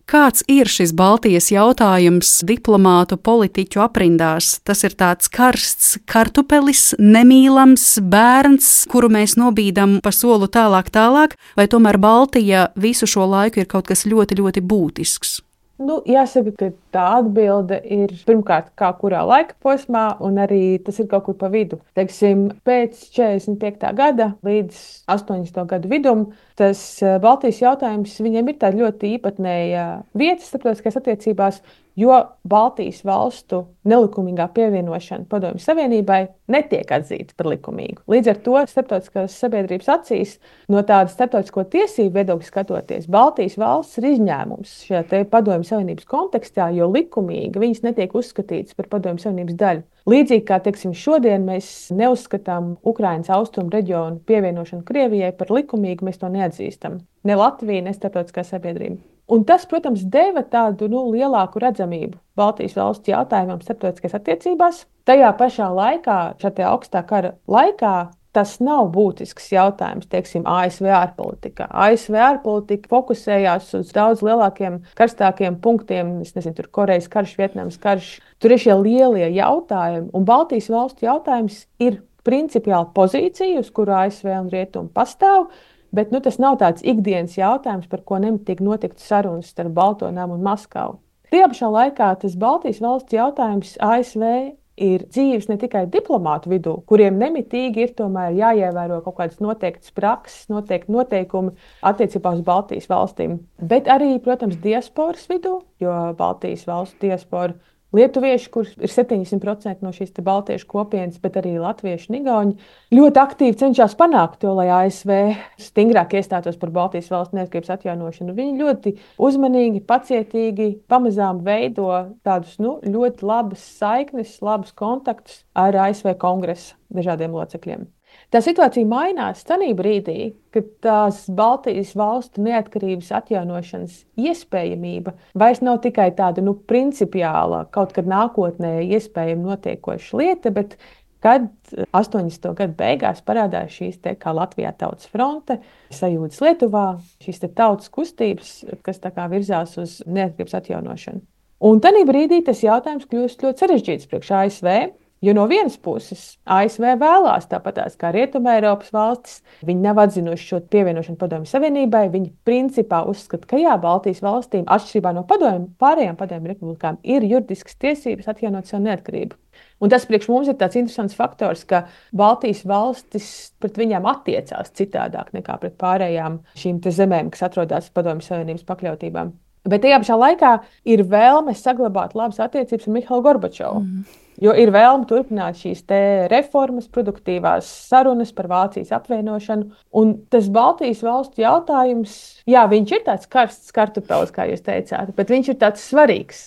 kāds ir šis Baltijas jautājums diplomātu politiķu aprindās? Tas ir tāds karsts kartupelis, nemīlams bērns, kuru mēs nobīdam pa solu tālāk tālāk, vai tomēr Baltija visu šo laiku ir kaut kas ļoti, ļoti būtisks? Nu, jāsaka, ka tā atbilde ir pirmkārt, kā kurā laika posmā, un arī tas ir kaut kur pa vidu. Teiksim, pēc četrdesmit piektā gada līdz astoņdesmito gadu vidum tas Baltijas jautājums viņiem ir tāda ļoti īpatnēja vieta starptautiskās attiecībās, jo Baltijas valstu nelikumīgā pievienošana Padomju Savienībai netiek atzīta par likumīgu. Līdz ar to starptautiskās sabiedrības acīs no tāda starptautisko tiesību viedokļa skatoties, Baltijas valsts ir izņēmums šajā te Padomju Savienības kontekstā, jo likumīgi viņas netiek uzskatītas par Padomju Savienības daļu. Līdzīgi kā, teiksim, šodien mēs neuzskatām Ukrainas austrumu reģionu pievienošanu Krievijai par likumīgu, mēs to neatzīstam. Ne Latvija, ne starptautiskā sabiedrība. Un tas, protams, deva tādu nu, lielāku redzamību Baltijas valsts jautājumam starptautiskās attiecībās. Tajā pašā laikā, šajā augstā kara laikā, tas nav būtisks jautājums, teiksim, A S V ārpolitikā. A S V ārpolitika fokusējās uz daudz lielākiem, karstākiem punktiem, es nezinu, tur Korejas karš, Vietnamas karš. Tur ir šie lielie jautājumi, un Baltijas valstu jautājums ir principiāli pozīcija, uz kuru A S V un Rietumi pastāv, bet nu, tas nav tāds ikdienas jautājums, par ko nemitīgi notiktu sarunas starp Balto namu un Maskavu. Tajā pašā laikā tas Baltijas valsts jautājums A S V ir dzīves ne tikai diplomātu vidū, kuriem nemitīgi ir tomēr jāievēro kaut kādas noteiktas prakses, noteikti noteikumi attiecībā uz Baltijas valstīm, bet arī, protams, diasporas vidū, jo Baltijas valstu diaspora lietuvieši, kurš ir septiņdesmit procenti no šīs baltiešu kopienas, bet arī latvieši un igauņi, ļoti aktīvi cenšas panākt to, lai A S V stingrāk iestātos par Baltijas valsts neatkarības atjaunošanu. Viņi ļoti uzmanīgi, pacietīgi, pamazām veido tādus nu, ļoti labas saiknes, labus kontaktus ar A S V kongresa dažādiem locekļiem. Tā situācija mainās tajā brīdī, kad tās Baltijas valstu neatkarības atjaunošanas iespējamība vairs nav tikai tāda nu, principiāla, kaut kad nākotnē iespējama notiekoša lieta, bet kad astoņdesmito gadu beigās parādās šīs te, kā Latvijā tautas fronte, sajūtas Lietuvā, šīs te tautas kustības, kas tā kā virzās uz neatkarības atjaunošanu. Un tajā brīdī tas jautājums kļūst ļoti sarežģīts priekš A S V. Jo no vienas puses A S V vēlās tāpatās kā Rietumē Eiropas valstis, viņi nav atzinuši šo pievienošanu Padomju Savienībai, viņi principā uzskata, ka jā, Baltijas valstīm, atšķirībā no padomju, pārējām padomju republikām, ir juridiskas tiesības atjaunot savu neatkarību. Un tas priekš mums ir tāds interesants faktors, ka Baltijas valstis pret viņām attiecās citādāk nekā pret pārējām šīm te zemēm, kas atrodas Padomju Savienības pakļautībām. Bet tajā pašā laikā ir vēlme saglabāt labas attiecības ar Mihailu Gorbačovu. Mm. Jo ir vēlme turpināt šīs te reformas, produktīvās sarunas par Vācijas apvienošanu. Un tas Baltijas valstu jautājums, jā, viņš ir tāds karsts kartupelis, kā jūs teicāt, bet viņš ir tāds svarīgs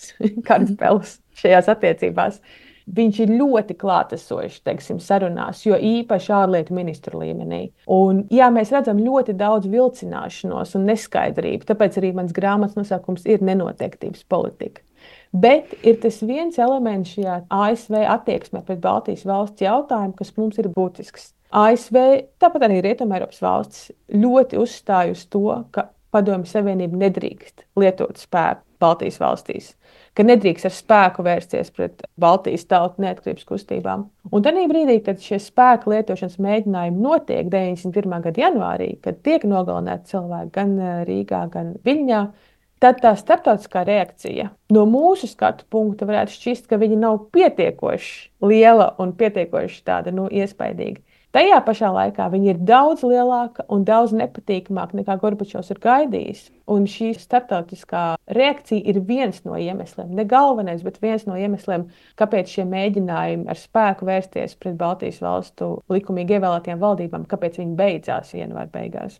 kartupelis šajās attiecībās. Viņš ir ļoti klātesošs, teiksim, sarunās, jo īpaši ārlietu ministru līmenī. Un, jā, mēs redzam ļoti daudz vilcināšanos un neskaidrību, tāpēc arī mans grāmatas nosaukums ir nenoteiktības politika. Bet ir tas viens elements šajā A S V attieksmē pret Baltijas valsts jautājumu, kas mums ir būtisks. A S V, tāpat arī Rietumeiropas valstis, ļoti uzstāj uz to, ka Padomju Savienība nedrīkst lietot spēku Baltijas valstīs, ka nedrīkst ar spēku vērsties pret Baltijas tautu neatkarības kustībām. Un tajā brīdī, kad šie spēka lietošanas mēģinājumi notiek deviņdesmit pirmā gada janvārī, kad tiek nogalināti cilvēki gan Rīgā, gan Viļņā, tad tā starptautiskā reakcija no mūsu skatu punkta varētu šķist, ka viņa nav pietiekoši liela un pietiekoši tāda, nu, iespaidīga. Tajā pašā laikā viņa ir daudz lielāka un daudz nepatīkamāka nekā Gorbačovs ir gaidījis. Un šī starptautiskā reakcija ir viens no iemesliem, ne galvenais, bet viens no iemesliem, kāpēc šie mēģinājumi ar spēku vērsties pret Baltijas valstu likumīgi ievēlētajām valdībām, kāpēc viņi beidzās janvāra beigās.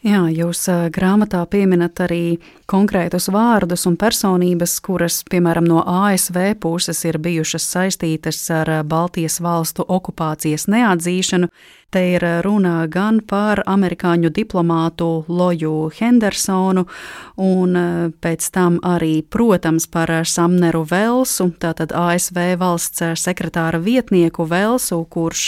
Jā, jūs grāmatā pieminat arī konkrētus vārdus un personības, kuras, piemēram, no A S V puses ir bijušas saistītas ar Baltijas valstu okupācijas neatzīšanu. Te ir runa gan par amerikāņu diplomātu Loju Hendersonu un pēc tam arī, protams, par Samneru Velsu, tātad A S V valsts sekretāra vietnieku Velsu, kurš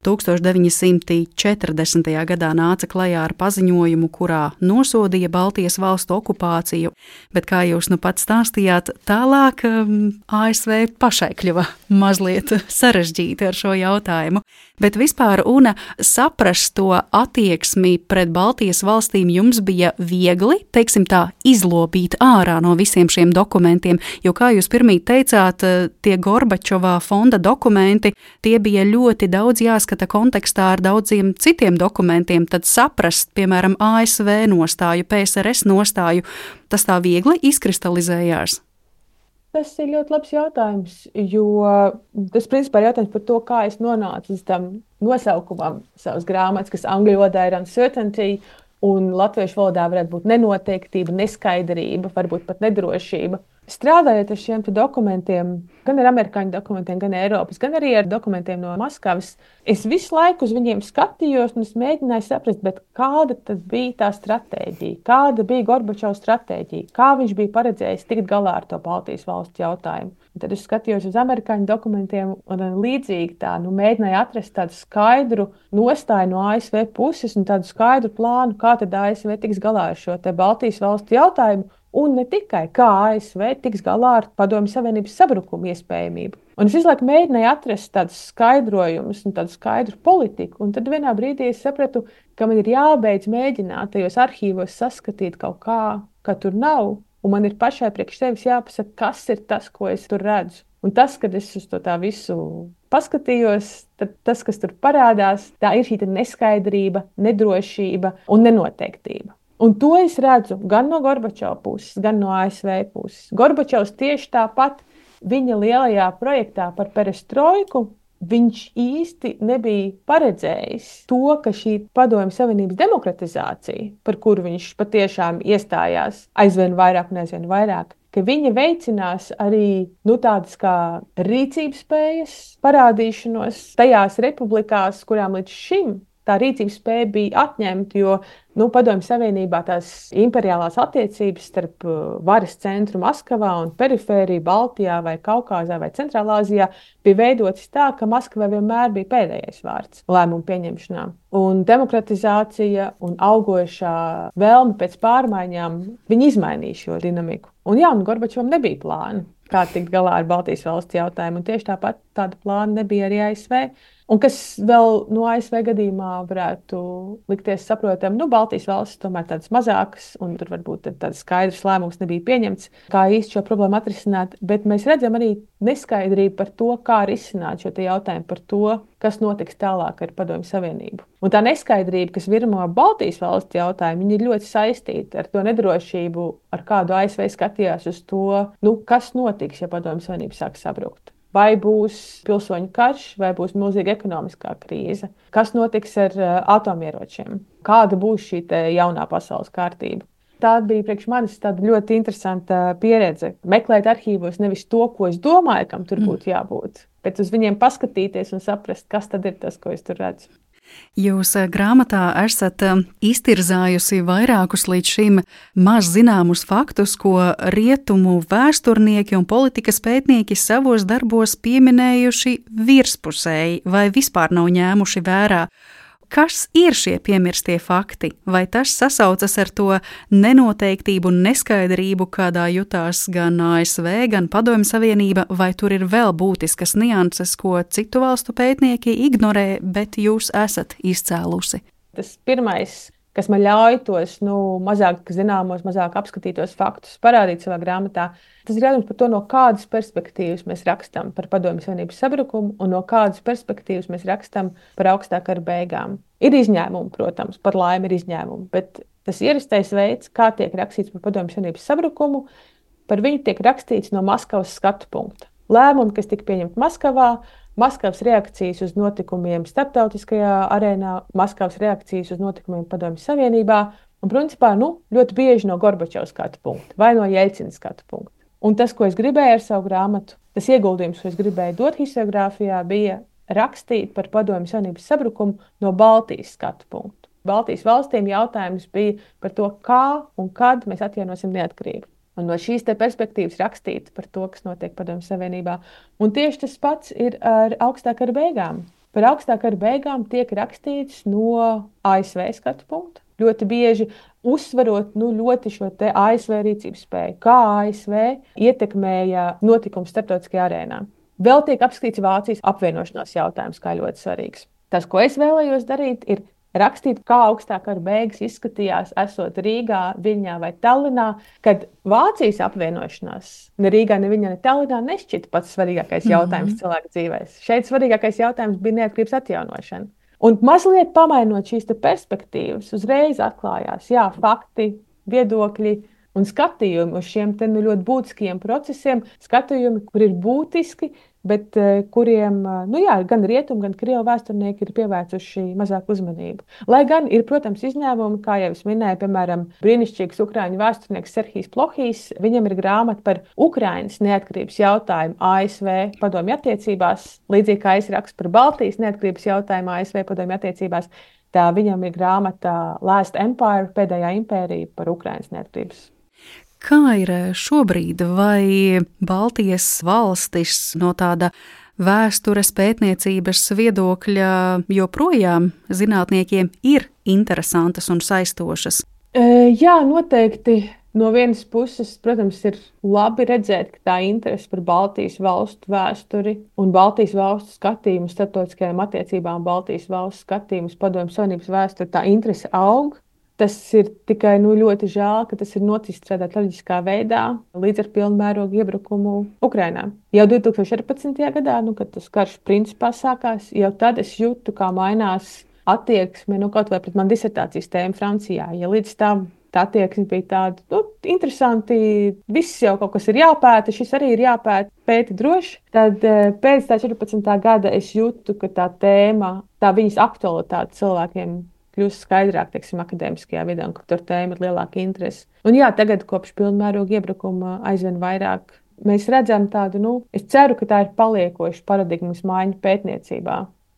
tūkstoš deviņi simti četrdesmitajā gadā nāca klajā ar paziņojumu, kurā nosodīja Baltijas valstu okupāciju. Bet, kā jūs nu pat stāstījāt, tālāk A S V pašai kļuva mazliet sarežģīti ar šo jautājumu. Bet vispār, Una, saprast to attieksmi pret Baltijas valstīm jums bija viegli, teiksim tā, izlobīt ārā no visiem šiem dokumentiem, jo, kā jūs pirmīt teicāt, tie Gorbačova fonda dokumenti, tie bija ļoti daudz jāskata kontekstā ar daudziem citiem dokumentiem, tad saprast, piemēram, A S V nostāju, P S R S nostāju, tas tā viegli izkristalizējās? Tas ir ļoti labs jautājums, jo tas principā ir jautājums par to, kā es nonācu līdz tam nosaukumam savas grāmatas, kas angļu valodā ir uncertainty, un latviešu valodā varētu būt nenoteiktība, neskaidrība, varbūt pat nedrošība. Strādājot ar šiem dokumentiem, gan ar amerikāņu dokumentiem, gan Eiropas, gan arī ar dokumentiem no Maskavas, es visu laiku uz viņiem skatījos un es mēģināju saprast, bet kāda tad bija tā stratēģija, kāda bija Gorbačova stratēģija, kā viņš bija paredzējis tikt galā ar to Baltijas valstu jautājumu. Un tad es skatījos uz amerikāņu dokumentiem un līdzīgi tā, nu, mēģināju atrast tādu skaidru nostāju no A S V puses un tādu skaidru plānu, kā tad A S V tiks galā ar šo te Baltijas valstu jautājumu. Un ne tikai kā A S V tiks galā ar Padomju Savienības sabrukumu iespējamību. Un es visu laiku mēģināju atrast tādus skaidrojumus un tādu skaidru politiku. Un tad vienā brīdī es sapratu, ka man ir jābeidz mēģināt tajos arhīvos saskatīt kaut kā, ka tur nav. Un man ir pašai priekš sevis jāpasaka, kas ir tas, ko es tur redzu. Un tas, kad es uz to tā visu paskatījos, tad tas, kas tur parādās, tā ir šī neskaidrība, nedrošība un nenoteiktība. Un to es redzu gan no Gorbačova puses, gan no A S V puses. Gorbačovs tieši tāpat viņa lielajā projektā par perestroiku, viņš īsti nebija paredzējis to, ka šī Padomju Savienības demokratizācija, par kuru viņš patiešām iestājās aizvien vairāk un aizvien vairāk, ka viņa veicinās arī nu, tādas kā rīcības spējas parādīšanos tajās republikās, kurām līdz šim tā rīcības spēja bija atņemta, jo nu, Padomju Savienībā tās imperiālās attiecības starp varas centru Maskavā un perifēriju Baltijā vai Kaukāzā vai Centrālāzijā bija veidotas tā, ka Maskavā vienmēr bija pēdējais vārds lēmumu pieņemšanā. Un demokratizācija un augošā vēlme pēc pārmaiņām, viņi izmainīja šo dinamiku. Un jā, un Gorbačovam nebija plāna, kā tikt galā ar Baltijas valsts jautājumu, un tieši tāpat tāda plāna nebija arī A S V. Un kas vēl no A S V gadījumā varētu likties saprotam, nu, Baltijas valstis tomēr tādas mazākas, un tur varbūt tāds skaidrs lēmums nebija pieņemts, kā īsti šo problēmu atrisināt, bet mēs redzam arī neskaidrību par to, kā risināt šo jautājumu par to, kas notiks tālāk ar Padomju Savienību. Un tā neskaidrība, kas virmo Baltijas valstu jautājumu, viņi ir ļoti saistīti ar to nedrošību, ar kādu A S V skatījās uz to, nu, kas notiks, ja Padomju Savienība sāks sabrukt. Vai būs pilsoņu karš, vai būs milzīga ekonomiskā krīze? Kas notiks ar uh, atomieročiem? Kāda būs šī jaunā pasaules kārtība? Tā bija priekš manis tāda ļoti interesanta pieredze. Meklēt arhīvos nevis to, ko es domāju, kam tur būtu jābūt, bet uz viņiem paskatīties un saprast, kas tad ir tas, ko es tur redzu. Jūs grāmatā esat iztirzājusi vairākus līdz šim maz zināmus faktus, ko rietumu vēsturnieki un politikas pētnieki savos darbos pieminējuši virspusēji vai vispār nav ņēmuši vērā. Kas ir šie piemirstie fakti? Vai tas sasaucas ar to nenoteiktību un neskaidrību, kādā jutās gan A S V, gan Padomju Savienība, vai tur ir vēl būtiskas nianses, ko citu valstu pētnieki ignorē, bet jūs esat izcēlusi? Tas pirmais, kas man ļauj tos nu, mazāk zināmos, mazāk apskatītos faktus parādīt savā grāmatā, tas ir jautājums par to, no kādas perspektīvas mēs rakstam par Padomju Savienības sabrukumu un no kādas perspektīvas mēs rakstam par augstā kara beigām. Ir izņēmumi, protams, par laimi ir izņēmumi, bet tas ierastais veids, kā tiek rakstīts par Padomju Savienības sabrukumu, par viņu tiek rakstīts no Maskavas skatu punkta. Lēmumi, kas tika pieņemti Maskavā, Maskavas reakcijas uz notikumiem starptautiskajā arēnā, Maskavas reakcijas uz notikumiem Padomju Savienībā un, principā, nu, ļoti bieži no Gorbačova skatu punkta vai no Jeļcina skatu punkta. Un tas, ko es gribēju ar savu grāmatu, tas ieguldījums, ko es gribēju dot historiogrāfijā, bija rakstīt par Padomju Savienības sabrukumu no Baltijas skatu punktu. Baltijas valstīm jautājums bija par to, kā un kad mēs atjaunosim neatkarību. Un no šīs te perspektīvas rakstīt par to, kas notiek Padomju Savienībā. Un tieši tas pats ir ar augstā kara beigām. Par augstā kara beigām tiek rakstīts no A S V skatu punkta. Ļoti bieži uzsverot nu, ļoti šo te A S V rīcības spēju, kā A S V ietekmēja notikumus starptautiskajā arēnā. Vēl tiek apskatīts Vācijas apvienošanās jautājums, kā ļoti svarīgs. Tas, ko es vēlējos darīt, ir rakstīt, kā augstā kara beigas izskatījās, esot Rīgā, Viļņā vai Tallinā, kad Vācijas apvienošanās ne Rīgā, ne Viļņā, ne Tallinā nešķita pats svarīgākais jautājums mm-hmm. cilvēka dzīvēs. Šeit svarīgākais jautājums bija neatkarības atjaunošana. Un mazliet pamainot šīs perspektīvas, uzreiz atklājās jā, fakti, viedokļi un skatījumi uz šiem te, nu, ļoti būtiskiem procesiem, skatījumi, kur ir būtiski, bet uh, kuriem uh, nu, jā, gan rietumu, gan krievu vēsturnieki ir pievērsuši mazāk uzmanību. Lai gan ir, protams, izņēmumi, kā jau es minēju, piemēram, brīnišķīgs ukraiņu vēsturnieks Serhijs Plohijs, viņam ir grāmata par Ukrainas neatkarības jautājumu A S V padomju attiecībās, līdzīgi kā es rakstu par Baltijas neatkarības jautājumu A S V padomju attiecībās, tā viņam ir grāmata Last Empire, pēdējā impērija par Ukrainas neatkarības. Kā ir šobrīd, vai Baltijas valstis no tāda vēstures pētniecības viedokļa joprojām zinātniekiem ir interesantas un saistošas? Jā, noteikti. No vienas puses, protams, ir labi redzēt, ka tā interese par Baltijas valstu vēsturi un Baltijas valstu skatījumu starptautiskajām attiecībām, Baltijas valstu skatījumu Padomju Savienības vēsturi, tā interese aug. Tas ir tikai nu, ļoti žēl, ka tas ir noticis tādā traģiskā veidā līdz ar pilnmērogu iebrukumu Ukrainā. Jau divi tūkstoši četrpadsmitajā gadā, nu, kad tas karš principā sākās, jau tad es jūtu, kā mainās attieksme, nu, kaut vai pret man disertācijas tēmu Francijā. Ja līdz tam tā attieksme bija tāda, nu, interesanti, viss jau kaut kas ir jāpēta, šis arī ir jāpēta, pēta droši, tad pēc tā četrpadsmitā gada es jūtu, ka tā tēma, tā viņas aktualitāte cilvēkiem kļūst skaidrāk, teiksim, akadēmiskajā vidē, un ka tur tēma ir lielāka interese. Un jā, tagad kopš pilnmēroga iebrukuma aizvien vairāk mēs redzam tādu, nu, es ceru, ka tā ir paliekoša paradigmas maiņa pētniecībā,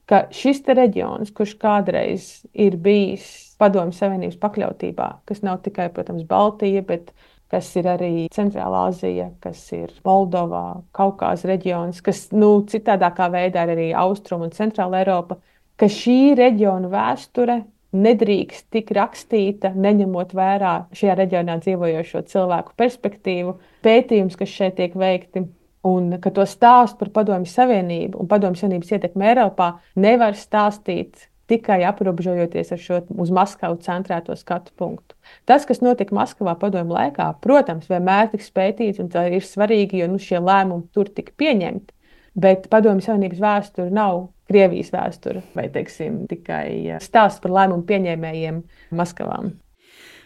ka šis te reģions, kurš kādreiz ir bijis Padomju Savienības pakļautībā, kas nav tikai, protams, Baltija, bet kas ir arī Centrālā Azija, kas ir Moldovā, Kaukāza reģions, kas, nu, citādākā veidā ir arī Austrum un Centrāla Eiropa, ka šī reģiona vēsture nedrīkst tik rakstīta, neņemot vērā šajā reģionā dzīvojošo cilvēku perspektīvu. Pētījums, kas šeit tiek veikti, Un ka to stāstu par Padomju Savienību un Padomju Savienības ietekmi Eiropā nevar stāstīt tikai aprobežojoties ar šo uz Maskavu centrēto skatu punktu. Tas, kas notika Maskavā padomju laikā, protams, vienmēr tiks pētīts, un tā ir svarīgi, jo nu, šie lēmumi tur tika pieņemti. Bet Padomju Savienības vēsture nav Krievijas vēsture vai, teiksim, tikai stāsts par lēmumu pieņēmējiem Maskavām.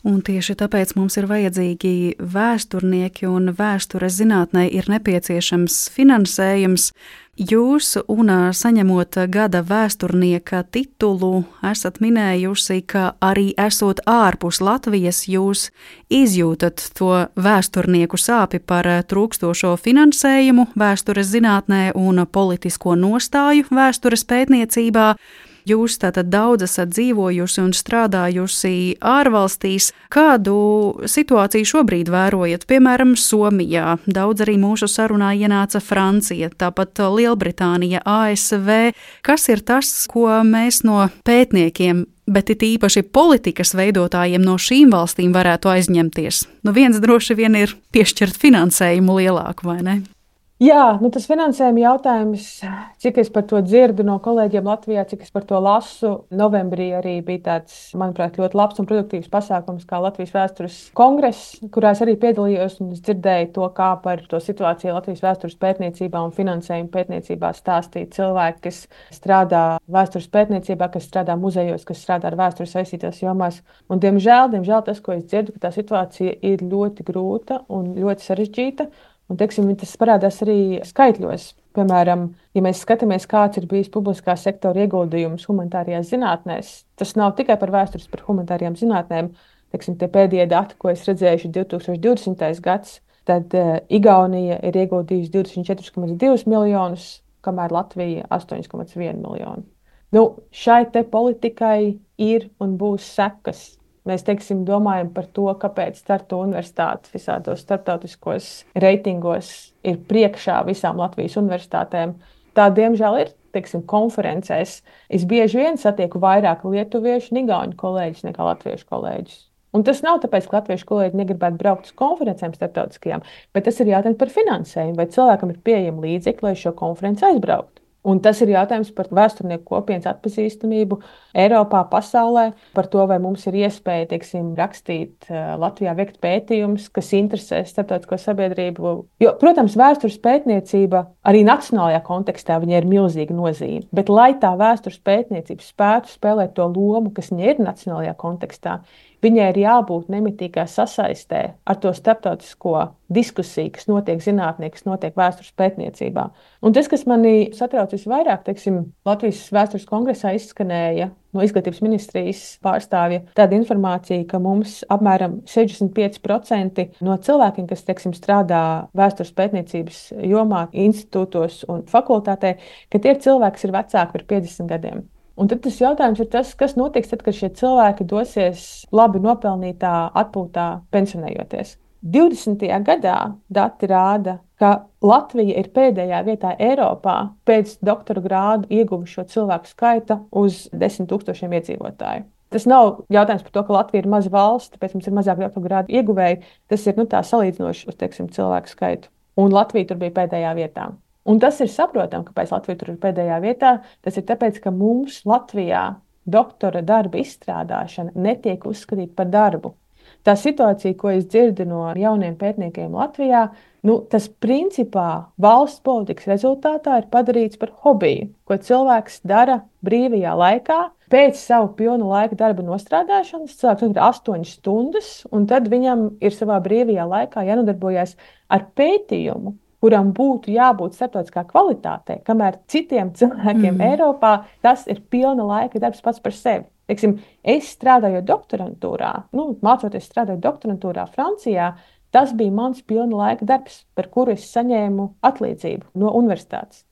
Un tieši tāpēc mums ir vajadzīgi vēsturnieki un vēstures zinātnē ir nepieciešams finansējums. Jūs, un saņemot gada vēsturnieka titulu, esat minējusi, ka arī esot ārpus Latvijas, jūs izjūtat to vēsturnieku sāpi par trūkstošo finansējumu vēstures zinātnē un politisko nostāju vēstures pētniecībā. Jūs tātad daudz esat dzīvojusi un strādājusi ārvalstīs. Kādu situāciju šobrīd vērojat? Piemēram, Somijā. Daudz arī mūsu sarunā ienāca Francija, tāpat Lielbritānija, A S V. Kas ir tas, ko mēs no pētniekiem, bet it īpaši politikas veidotājiem no šīm valstīm varētu aizņemties? Nu, viens droši vien ir piešķirt finansējumu lielāku, vai ne? Jā, nu tas finansējuma jautājums, cik es par to dzirdu no kolēģiem Latvijā, cik es par to lasu, novembrī arī bija tāds, manuprāt, ļoti labs un produktīvs pasākums kā Latvijas vēstures kongress, kurā es arī piedalījos un es dzirdēju to, kā par to situāciju Latvijas vēstures pētniecībā un finansējuma pētniecībā stāstīja cilvēki, kas strādā vēstures pētniecībā, kas strādā muzejos, kas strādā ar vēstures saistītās jomās. Un, diemžēl, diemžēl tas, ko es dzirdu, ka tā situācija ir ļoti grūta un ļoti sarežģīta. Un, teiksim, tas parādās arī skaitļos. Piemēram, ja mēs skatāmies, kāds ir bijis publiskā sektora ieguldījums humanitārajās zinātnēs, tas nav tikai par vēstures, par humanitārajām zinātnēm. Teiksim, tie pēdējie dati, ko es redzēju, ir divi tūkstoši divdesmitais gads, tad uh, Igaunija ir ieguldījusi divdesmit četri komats divi miljonus, kamēr Latvija astoņi komats viens miljonu. Nu, šai te politikai ir un būs sekas. Mēs, teiksim, domājam par to, kāpēc Tartu universitāte visādos starptautiskos reitingos ir priekšā visām Latvijas universitātēm. Tā, diemžēl, ir, teiksim, konferencēs. Es bieži vien satieku vairāk lietuviešu un igauņu kolēģus nekā latviešu kolēģus. Un tas nav tāpēc, ka latviešu kolēģi negribētu braukt uz konferencēm starptautiskajām, bet tas ir jautājums par finansējumu, vai cilvēkam ir pieejami līdzekļi, lai šo konferenci aizbrauktu. Un tas ir jautājums par vēsturnieku kopienas atpazīstamību Eiropā, pasaulē, par to, vai mums ir iespēja, teiksim, rakstīt Latvijā, veikt pētījumus, kas interesē starptautisko sabiedrību. Jo, protams, vēstures pētniecība arī nacionālajā kontekstā viņai ir milzīga nozīme, bet lai tā vēstures pētniecība spētu spēlēt to lomu, kas viņai ir nacionālajā kontekstā, viņai ir jābūt nemitīgā sasaistē ar to starptautisko diskusiju, kas notiek zinātnē, kas notiek vēstures pētniecībā. Un tas, kas mani satrauc visvairāk, teiksim, Latvijas vēstures kongresā izskanēja no izglītības ministrijas pārstāvja tāda informācija, ka mums apmēram sešdesmit pieci procenti no cilvēkiem, kas, teiksim, strādā vēstures pētniecības jomā, institūtos un fakultātē, ka tie ir cilvēki, kas ir vecāki par piecdesmit gadiem. Un tad tas jautājums ir tas, kas notiks tad, kad šie cilvēki dosies labi nopelnītā atpūtā pensionējoties. divdesmitajā gadā dati rāda, ka Latvija ir pēdējā vietā Eiropā pēc doktora grādu ieguvušo cilvēku skaita uz desmit tūkstošiem iedzīvotāju. Tas nav jautājums par to, ka Latvija ir maza valsts, tāpēc mums ir mazāk doktora grādu ieguvēji. Tas ir nu, tā salīdzinoši uz, teiksim, cilvēku skaitu. Un Latvija tur bija pēdējā vietā. Un tas ir saprotami, kāpēc Latvija tur ir pēdējā vietā. Tas ir tāpēc, ka mums Latvijā doktora darba izstrādāšana netiek uzskatīta par darbu. Tā situācija, ko es dzirdu no jauniem pētniekiem Latvijā, nu, tas principā valsts politikas rezultātā ir padarīts par hobiju, ko cilvēks dara brīvajā laikā. Pēc savu pilnu laika darba nostrādāšanas cilvēks ir astoņas stundas, un tad viņam ir savā brīvajā laikā jānodarbojas ar pētījumu, kuram būtu jābūt starptautiskā kvalitātei, kamēr citiem cilvēkiem mm. Eiropā tas ir pilna laika darbs pats par sevi. Teiksim, es strādāju doktorantūrā, nu, mācoties strādāt doktorantūrā Francijā, tas bija mans pilna laika darbs, par kuru es saņēmu atlīdzību no universitātes.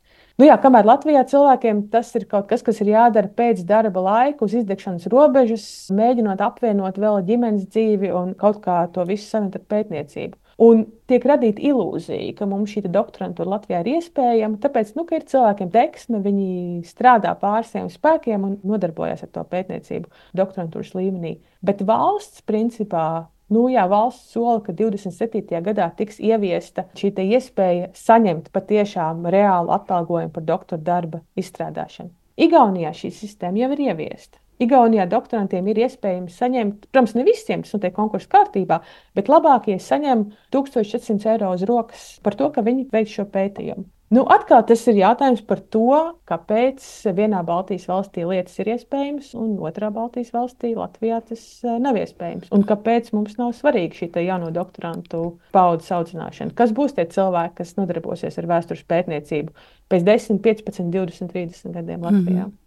Nu jā, kamēr Latvijā cilvēkiem tas ir kaut kas, kas ir jādara pēc darba laika, uz izdegšanas robežas, mēģinot apvienot vēl ģimenes dzīvi un kaut kā to visu savienot ar pētniecību. Un tiek radīta ilūzija, ka mums šī doktorantūra Latvijā ir iespējama, tāpēc, nu, ka ir cilvēkiem deksme, viņi strādā pār saviem spēkiem un nodarbojas ar to pētniecību doktorantūras līmenī. Bet valsts, principā, Nu, jā, valsts sola, ka divdesmit septītajā gadā tiks ieviesta šī iespēja saņemt patiešām reālu atalgojumu par doktora darba izstrādāšanu. Igaunijā šī sistēma jau ir ieviesta. Igaunijā doktorantiem ir iespējams saņemt, protams, ne visiem tas notiek konkursu kārtībā, bet labākie saņem tūkstoš četrsimt eiro uz rokas par to, ka viņi veic šo pētījumu. Nu, atkal tas ir jautājums par to, kāpēc vienā Baltijas valstī lietas ir iespējamas, un otrā Baltijas valstī, Latvijā, tas nav iespējams. Un kāpēc mums nav svarīgi šī jauno doktorantu paudzes audzināšana? Kas būs tie cilvēki, kas nodarbosies ar vēstures pētniecību pēc desmit, piecpadsmit, divdesmit, trīsdesmit gadiem Latvijā? Mm-hmm.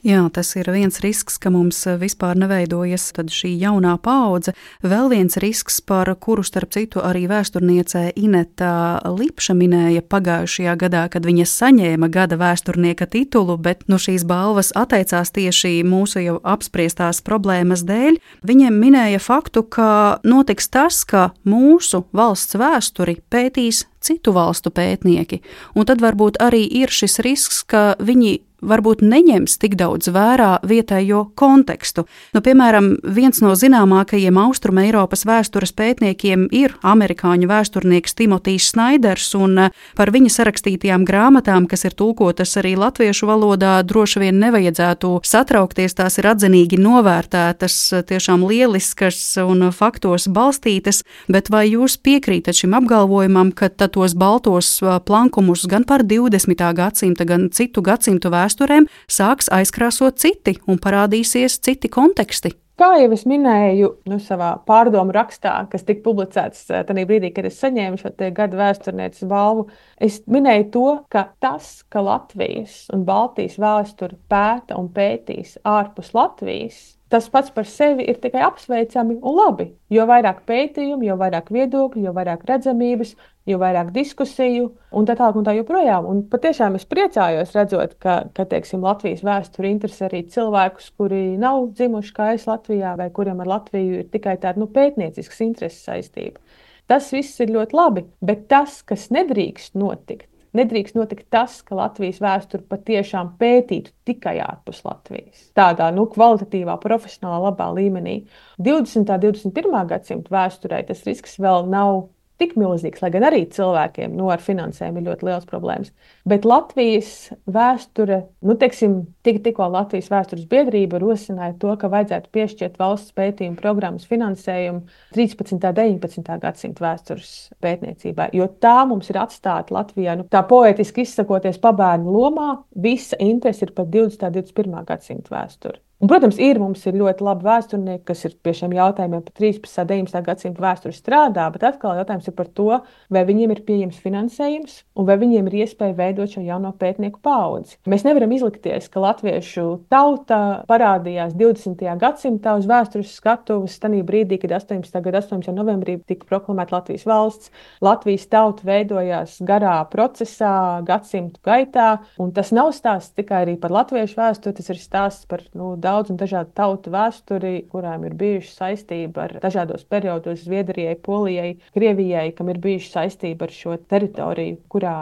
Jā, tas ir viens risks, ka mums vispār neveidojas tad šī jaunā paudze. Vēl viens risks, par kuru starp citu arī vēsturniece Ineta Lipša minēja pagājušajā gadā, kad viņa saņēma gada vēsturnieka titulu, bet no šīs balvas atteicās tieši mūsu jau apspriestās problēmas dēļ. Viņiem minēja faktu, ka notiks tas, ka mūsu valsts vēsturi pētīs citu valstu pētnieki, un tad varbūt arī ir šis risks, ka viņi varbūt neņems tik daudz vērā vietējo kontekstu. Nu, piemēram, viens no zināmākajiem Austrum Eiropas vēstures pētniekiem ir amerikāņu vēsturnieks Timotijs Snaiders, un par viņa sarakstītajām grāmatām, kas ir tulkotas arī latviešu valodā, droši vien nevajadzētu satraukties, tās ir atzinīgi novērtētas, tiešām lieliskas un faktos balstītas, bet vai jūs piekrītat šim apgalvojumam, ka tos baltos plankumus gan par divdesmitā gadsimta, gan citu gadsimtu vēsturēm sāks aizkrāsot citi un parādīsies citi konteksti? Kā jau es minēju nu, savā pārdomu rakstā, kas tika publicēts tajā brīdī, kad es saņēmu šo gada vēsturnieces balvu, es minēju to, ka tas, ka Latvijas un Baltijas vēsturi pēta un pētīs ārpus Latvijas, tas pats par sevi ir tikai apsveicami un labi. Jo vairāk pētījumu, jo vairāk viedokļu, jo vairāk redzamības, jo vairāk diskusiju un tā tālāk un tā joprojām. Un patiešām es priecājos redzot, ka, ka teiksim, Latvijas vēsturi interesē arī cilvēkus, kuri nav dzimuši kā es Latvijā vai kuriem ar Latviju ir tikai tāda nu, pētniecisks intereses saistība. Tas viss ir ļoti labi, bet tas, kas nedrīkst notikt, Nedrīkst notikt tas, ka Latvijas vēsturi patiešām pētītu tikai ārpus Latvijas. Tādā nu, kvalitatīvā, profesionālā, labā līmenī. divdesmitā un divdesmit pirmā gadsimta vēsturē tas risks vēl nav tik milzīgs, lai gan arī cilvēkiem nu, ar finansēm ir ļoti liels problēmas. Bet Latvijas vēsture, nu, teiksim, tik, tikko Latvijas vēstures biedrība rosināja to, ka vajadzētu piešķirt valsts pētījumu programmas finansējumu trīspadsmitā un deviņpadsmitā gadsimta vēstures pētniecībai, jo tā mums ir atstāta Latvijā, nu, tā poetiski izsakoties pabērnu lomā, visa interese ir par divdesmitā un divdesmit pirmā gadsimta vēsturi. Un, protams, ir mums ir ļoti labi vēsturnieki, kas ir pie šiem jautājumiem par trīspadsmitā un deviņpadsmitā gadsimta vēsturi strādā, bet atkal jautājums ir par to, vai viņiem ir pieejams finansējums un vai viņiem ir iespēja veidot šo jauno pētnieku paudzi. Mēs nevaram izlikties, ka latviešu tauta parādījās divdesmitajā gadsimtā uz vēstures skatuves tajā brīdī, kad astoņpadsmitā gada astoņpadsmitajā novembrī tika proklamēta Latvijas valsts. Latvijas tauta veidojās garā procesā, gadsimtu gaitā, un tas nav stāsts tikai arī par latviešu vēsturi, tas ir stāsts par nu, daudz un dažādu tautu vēsturi, kurām ir bijuši saistība ar dažādos periodos Zviedrijai, Polijai, Krievijai, kam ir bijuši saistība ar šo teritoriju, kurā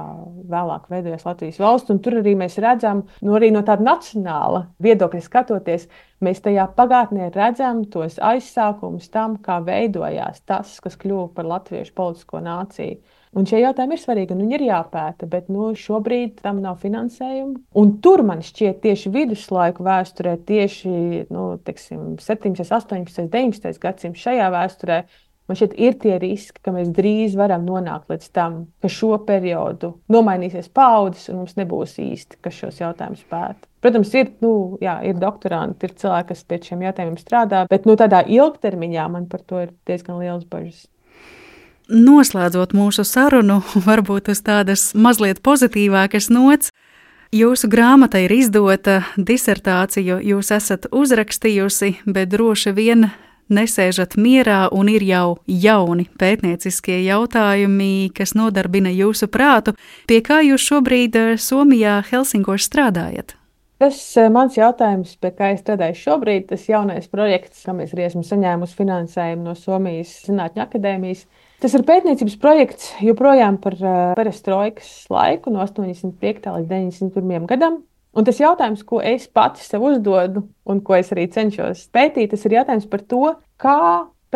vēlāk veidojās Latvijas valsts. Un tur arī mēs redzam, nu, arī no tāda nacionāla viedokļa skatoties, mēs tajā pagātnē redzam tos aizsākumus tam, kā veidojās tas, kas kļuva par latviešu politisko nāciju. Un šie jautājumi ir svarīgi, un viņi ir jāpēta, bet nu, šobrīd tam nav finansējuma. Un tur man šķiet tieši viduslaiku vēsturē, tieši nu, teiksim, septiņpadsmitais, astoņpadsmitais, deviņpadsmitais gadsimts šajā vēsturē, man šķiet ir tie riski, ka mēs drīz varam nonākt līdz tam, ka šo periodu nomainīsies paudzes un mums nebūs īsti, kas šos jautājumus pēta. Protams, ir, nu, jā, ir doktoranti, ir cilvēki, kas pie šiem jautājumiem strādā, bet nu, tādā ilgtermiņā man par to ir diezgan liels bažas. Noslēdzot mūsu sarunu, varbūt uz tādas mazliet pozitīvākas nots, jūsu grāmata ir izdota, disertāciju jūs esat uzrakstījusi, bet droši vien nesēžat mierā un ir jau jauni pētnieciskie jautājumi, kas nodarbina jūsu prātu. Pie kā jūs šobrīd Somijā Helsinkos strādājat? Tas mans jautājums, pie kā es strādāju šobrīd, tas jaunais projekts, kam es arī esmu saņēmusi finansējumu no Somijas Zinātņu akadēmijas. Tas ir pētniecības projekts joprojām par perestroikas laiku no astoņdesmit piektā līdz deviņdesmit pirmajam gadam. Un tas jautājums, ko es pati sev uzdodu un ko es arī cenšos pētīt, tas ir jautājums par to, kā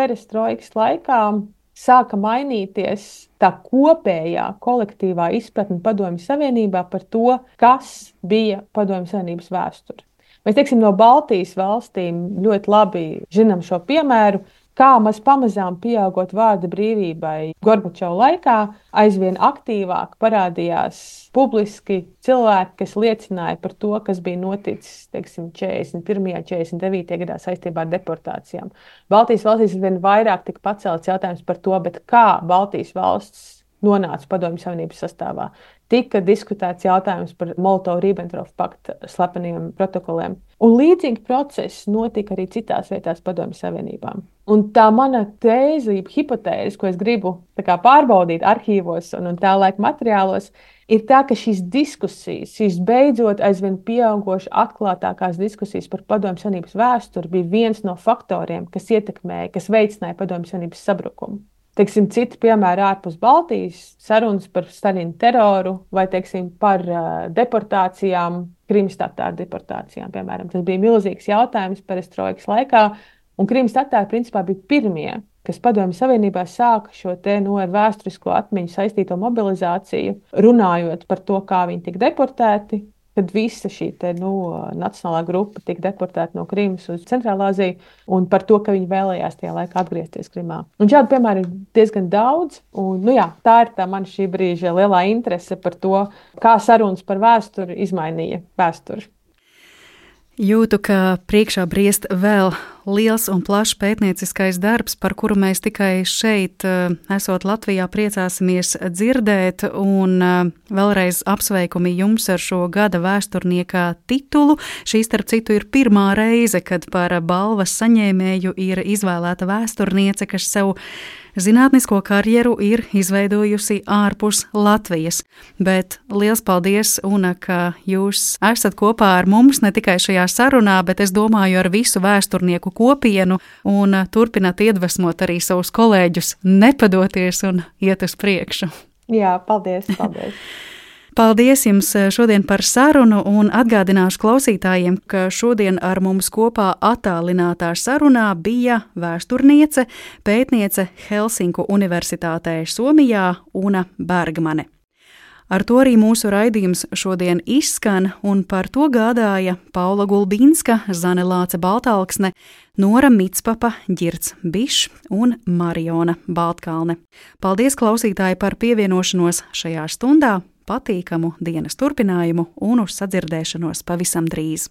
perestroikas laikā sāka mainīties tā kopējā kolektīvā izpratne Padomju Savienībā par to, kas bija Padomju Savienības vēsture. Mēs, teiksim, no Baltijas valstīm ļoti labi zinām šo piemēru, kā maz pamazām pieaugot vārda brīvībai Gorbačova laikā, aizvien aktīvāk parādījās publiski cilvēki, kas liecināja par to, kas bija noticis, teiksim, četrdesmit pirmajā, četrdesmit devītajā gadā saistībā ar deportācijām. Baltijas valstīs vien vairāk tika pacelts jautājums par to, bet kā Baltijas valsts nonāca Padomju Savienības sastāvā. Tika diskutēts jautājums par Molotova-Ribbentropa pakta slepeniem protokoliem. Un līdzīgi process notika arī citās vietās Padomju Savienībā. Un tā mana tēze, hipotēze, ko es gribu tā kā pārbaudīt arhīvos un, un tā laika materiālos, ir tā, ka šīs diskusijas, šīs beidzot aizvien pieaugoši atklātākās diskusijas par Padomju Savienības vēsturi bija viens no faktoriem, kas ietekmēja, kas veicināja Padomju Savienības sabrukumu. Teiksim, citi piemēri ārpus Baltijas, sarunas par Staļina teroru vai, teiksim, par uh, deportācijām, Krimas tatāru deportācijām, piemēram. Tas bija milzīgs jautājums perestroikas laikā, un Krimas tatāri principā bija pirmie, kas Padomju Savienībā sāka šo te no ar vēsturisko atmiņu saistīto mobilizāciju, runājot par to, kā viņi tika deportēti, kad visa šī te, nu, nacionālā grupa tika deportēta no Krimas uz Centrālāziju un par to, ka viņi vēlējās tajā laikā atgriezties Krimā. Un šādu piemēru ir diezgan daudz, un nu jā, tā ir tā man šī brīža lielā interese par to, kā sarunas par vēsturi izmainīja vēsturi. Jūtu, ka priekšā briest vēl liels un plašs pētnieciskais darbs, par kuru mēs tikai šeit, esot Latvijā, priecāsimies dzirdēt, un vēlreiz apsveikumi jums ar šo gada vēsturnieka titulu. Šī, starp citu, ir pirmā reize, kad par balvas saņēmēju ir izvēlēta vēsturniece, kas sev zinātnisko karjeru ir izveidojusi ārpus Latvijas. Bet liels paldies, Una, ka jūs esat kopā ar mums ne tikai šajā sarunā, bet es domāju ar visu vēsturnieku kopienu un turpināt iedvesmot arī savus kolēģus nepadoties un iet uz priekšu. Jā, paldies, paldies. Paldies jums šodien par sarunu un atgādināšu klausītājiem, ka šodien ar mums kopā attālinātā sarunā bija vēsturniece, pētniece Helsinku Universitātē Somijā Una Bergmane. Ar to arī mūsu raidījums šodien izskan, un par to gādāja Paula Gulbinska, Zane Lāce Baltalksne, Nora Mitspapa, Ģirds Bišs un Mariona Baltkalne. Paldies klausītāji par pievienošanos šajā stundā, patīkamu dienas turpinājumu un uz sadzirdēšanos pavisam drīz.